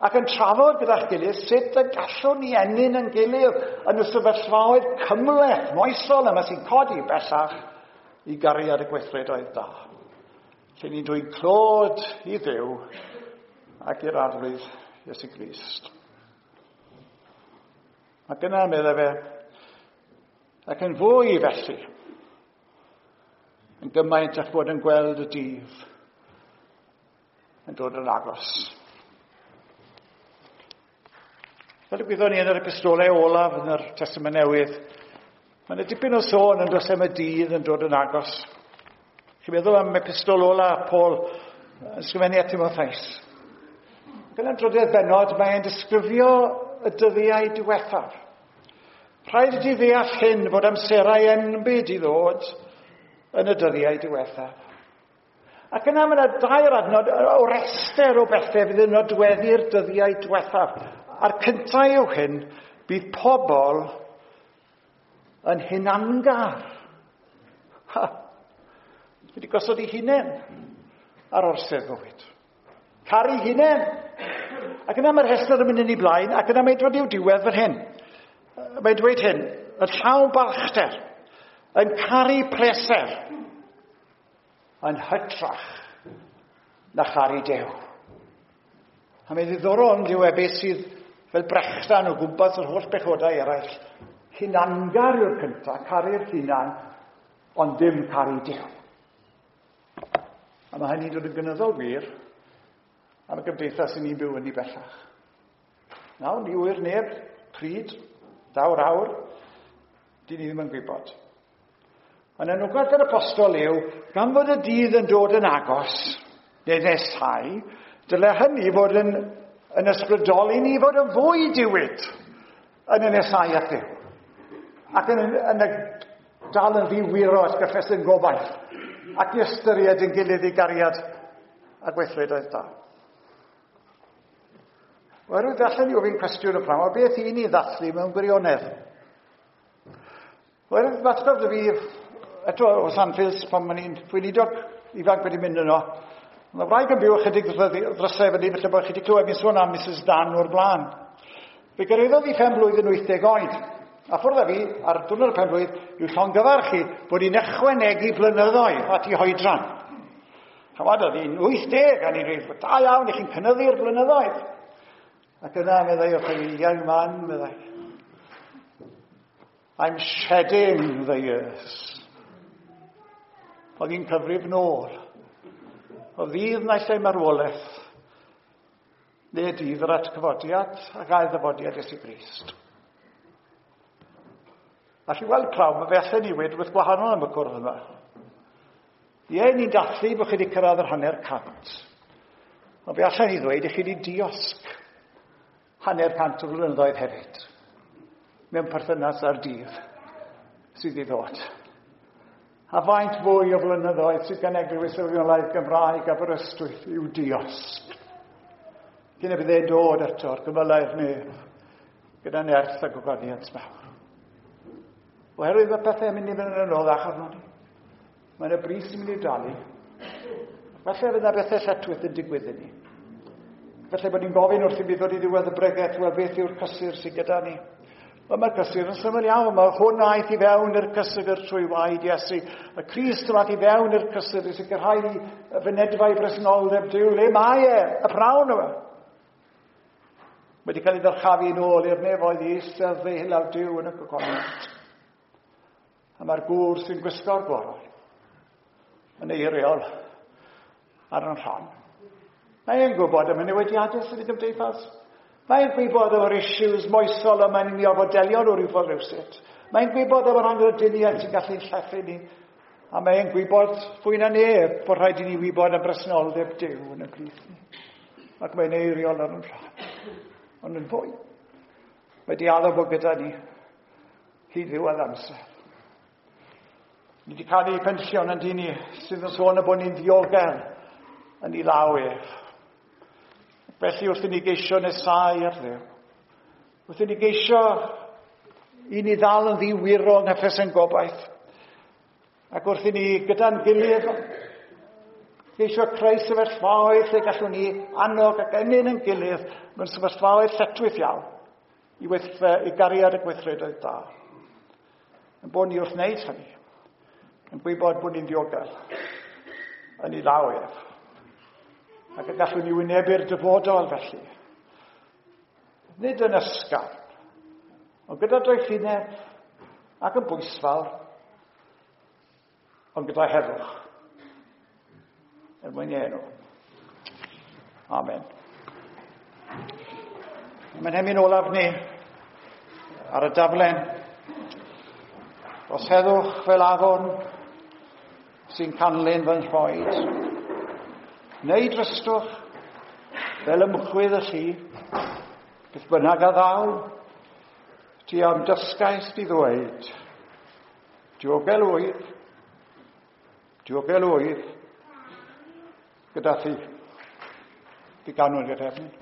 Ac yn trafod gyda'ch gilydd sut y gallwn ni ennyn yn gilydd yn y sefyllfaoedd cymhleth, moesol yma sy'n codi bellach i gariad y gweithredoedd da. Lle ni'n dweud clod i Dduw ac i'r Arglwydd Iesu Grist. Ac yna, meddai fe, ac yn fwy felly, yn gymaint a'ch bod yn gweld y dydd yn dod yn agos. Fel y gwyddon ni yn yr epistolau olaf yn yr Testament Newydd, Mae yna dipyn o sôn yn dos am y dydd yn dod yn agos. Chi'n meddwl am epistol ola Paul yn sgrifennu at Timotheus. Ac yn y drydedd bennod, mae'n disgrifio y dyddiau diwethaf. Rhaid i ti ddeall hyn fod amserau enbyd i ddod yn y dyddiau diwethaf. Ac yna mae yna dair adnod o rester o bethau fydd yn nodweddu'r dyddiau diwethaf. A'r cyntaf yw hyn, bydd pobl yn hunangar. Ha! Wedi gosod ei hunain ar orsedd fywyd. Caru hunain. Ac yna mae'r rhestr yn mynd yn ei blaen, ac yna mae'n dod i'w diwedd fan hyn. Mae'n dweud hyn, yn llawn balchder, yn caru pleser, yn hytrach na charu Duw. A mae'n ddiddorol yn dyw e beth sydd fel brechdan o gwmpas yr holl bechodau eraill. Hunangar yw'r cyntaf, caru'r hunan, ond dim caru Duw. A mae hynny'n dod yn gynyddol wir am y gymdeithas sy'n ni'n byw yn ei bellach. Nawr, ni ŵyr neb, pryd, daw'r awr, dyn ni ddim yn gwybod. Ond anogaeth yr apostol yw, gan fod y dydd yn dod yn agos, neu nesau, dyle hynny fod yn ysbrydoli ni fod yn fwy diwyd yn y nesau at Dduw. Ac yn y dal yn ddiwyro at gyffes yn gobaith, ac i ystyried yn gilydd i gariad a gweithredoedd da. Oherwydd allan ni ofyn cwestiwn y pnawn, beth i ni ddathlu mewn gwirionedd? Oherwydd atgof dy fi, eto o Sanfils, pan o'n i'n weinidog ifanc wedi mynd yno, mae wraig yn byw ychydig ddrysau fyny, felly bod chi wedi clywed mi'n sôn am Mrs Dan o'r blaen. Fe gyrhaeddodd hi phen blwydd yn 80 oed. A ffwrdd â fi, ar diwrnod y pen blwydd, i'w llongyfarch hi bod hi'n ychwanegu blynyddoedd at ei hoedran. Chymod, oedd hi'n 80, a ni'n dweud, da iawn, i chi'n cynyddu'r blynyddoedd. Ac yna, meddai wrth ei, young man, meddai, I'm shedding the years. Oedd hi'n cyfrif nôl. O ddydd naill ai marwolaeth, neu dydd yr atgyfodiad ac ail ddyfodiad Iesu Grist. A chi weld pnawn, mae fe allan ni wedi rhywbeth gwahanol am y cwrdd yma. Ie, ni'n dathlu bod chi wedi cyrraedd yr 150. Ond fe allan ni ddweud i chi wedi diosg 150 o flynyddoedd hefyd. Mewn perthynas â'r dydd sydd i ddod. A faint fwy o flynyddoedd sydd gan Eglwys Efengylaidd Gymraeg Aberystwyth i'w diosg. Cyn y bydd e'n dod eto'r gymylau'r nef gyda nerth a gogoniant mawr. Oherwydd mae pethau'n mynd i fynd yn anoddach arno ni. Mae yna bris yn mynd i dalu. Falle fydd yna bethau lletchwith yn digwydd i ni. Falle bod ni'n gofyn wrth i mi ddod i ddiwedd y bregaeth, wel beth yw'r cysur sydd gyda ni? Wel, mae'r cysur yn syml iawn. Mae hwn aeth i fewn i'r cysur trwy waed Iesu. Y Crist yma i fewn i'r cysur i sicrhau y fynedfa i bresenoldeb Duw. Le mae e? Y pnawn yma. Wedi cael ei ddyrchafu yn ôl i'r nefoedd i eistedd ddeulaw Duw yn y gogoniant. A mae'r gŵr sy'n gwisgo'r gorau yn eiriol ar yn rhan. Mae'n gwybod am y newidiadau sydd i gymdeithas. Mae'n gwybod am yr issues moesol y mae'n ni orfod delio nhw rhyw ffordd rhywsut. Mae'n gwybod am yr angrediniaeth sy'n gallu llethu ni. A mae'n gwybod fwy na neb bod rhaid i ni wybod am bresenoldeb Duw yn y plith ni. Ac mae'n eiriol ar yn rhan. Ond yn fwy. Mae di addo bod gyda ni hyd ddiwedd amser. Ni wedi cael ei penllion yn dyn ni sydd yn sôn y bod ni'n ddiogel yn ei law ef. Felly wrth i ni geisio nesau ar Dduw, wrth i ni geisio i ni ddal yn ddiwyro yng nghyffes ein gobaith, ac wrth i ni gyda'n gilydd geisio creu sefyllfaoedd lle gallwn ni annog ac ennyn yn gilydd mewn sefyllfaoedd lletchwith iawn i gariad y gweithredoedd da. Yn bod ni wrth wneud hynny, yn gwybod bod ni'n ddiogel yn ei law ef. Ac y gallwn ni wynebu'r dyfodol felly. Nid yn ysgafn, ond gyda doethineb ac yn bwysfawr, ond gyda heddwch. Er mwyn ei enw. Amen. Mae'n hemyn olaf ni ar y daflen. Os heddwch fel afon sy'n canlyn fy nhroed, neu drystwch fel ymchwydd y lli, beth bynnag a ddaw, ti am dysgais di ddweud, diogel wyf, diogel wyf, gyda thi. Diganwn i'r hefyd.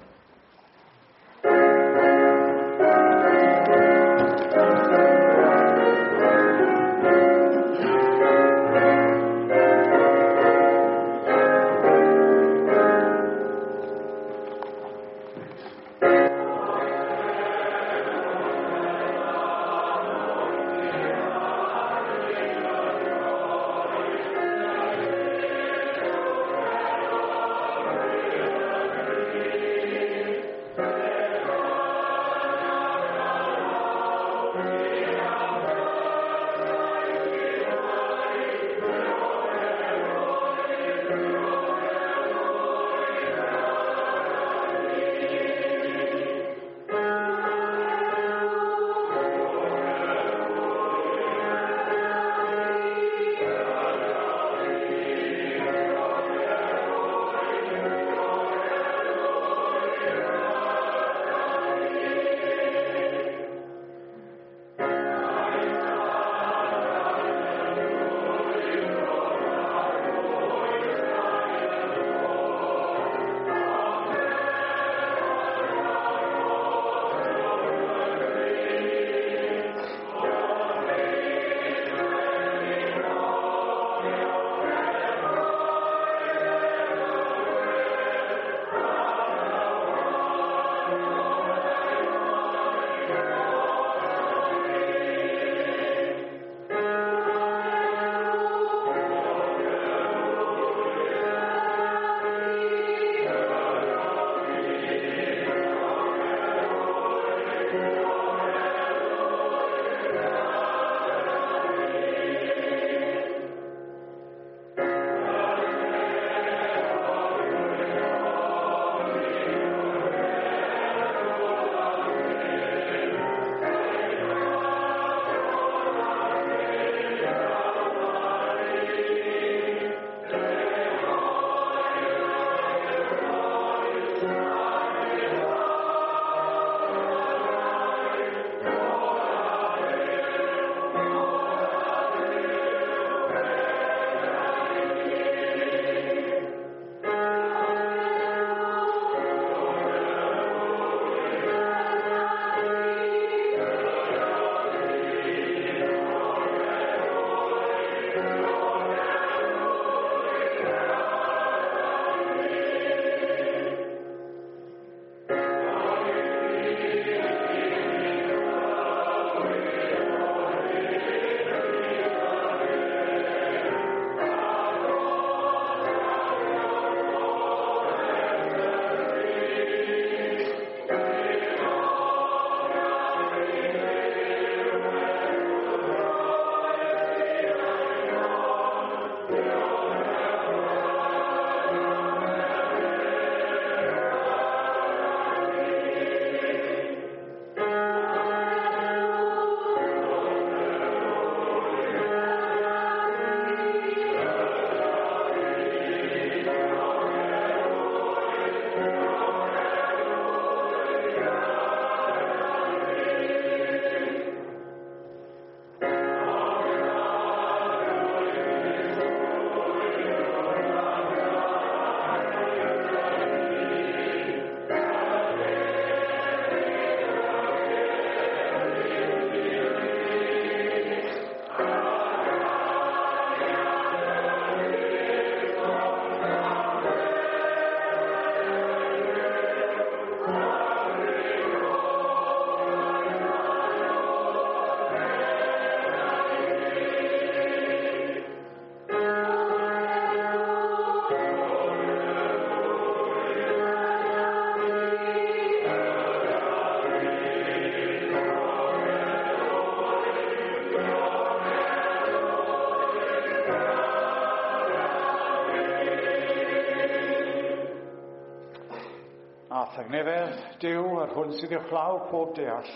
Tangnefedd Duw, yr hwn sydd uwchlaw pob deall,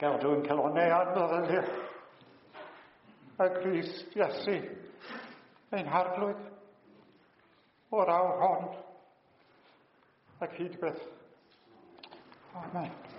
gadw yn calonnau a'n meddyliau. y Grist Iesu, ein harglwydd, o'r awr hon ac hyd byth. Amen.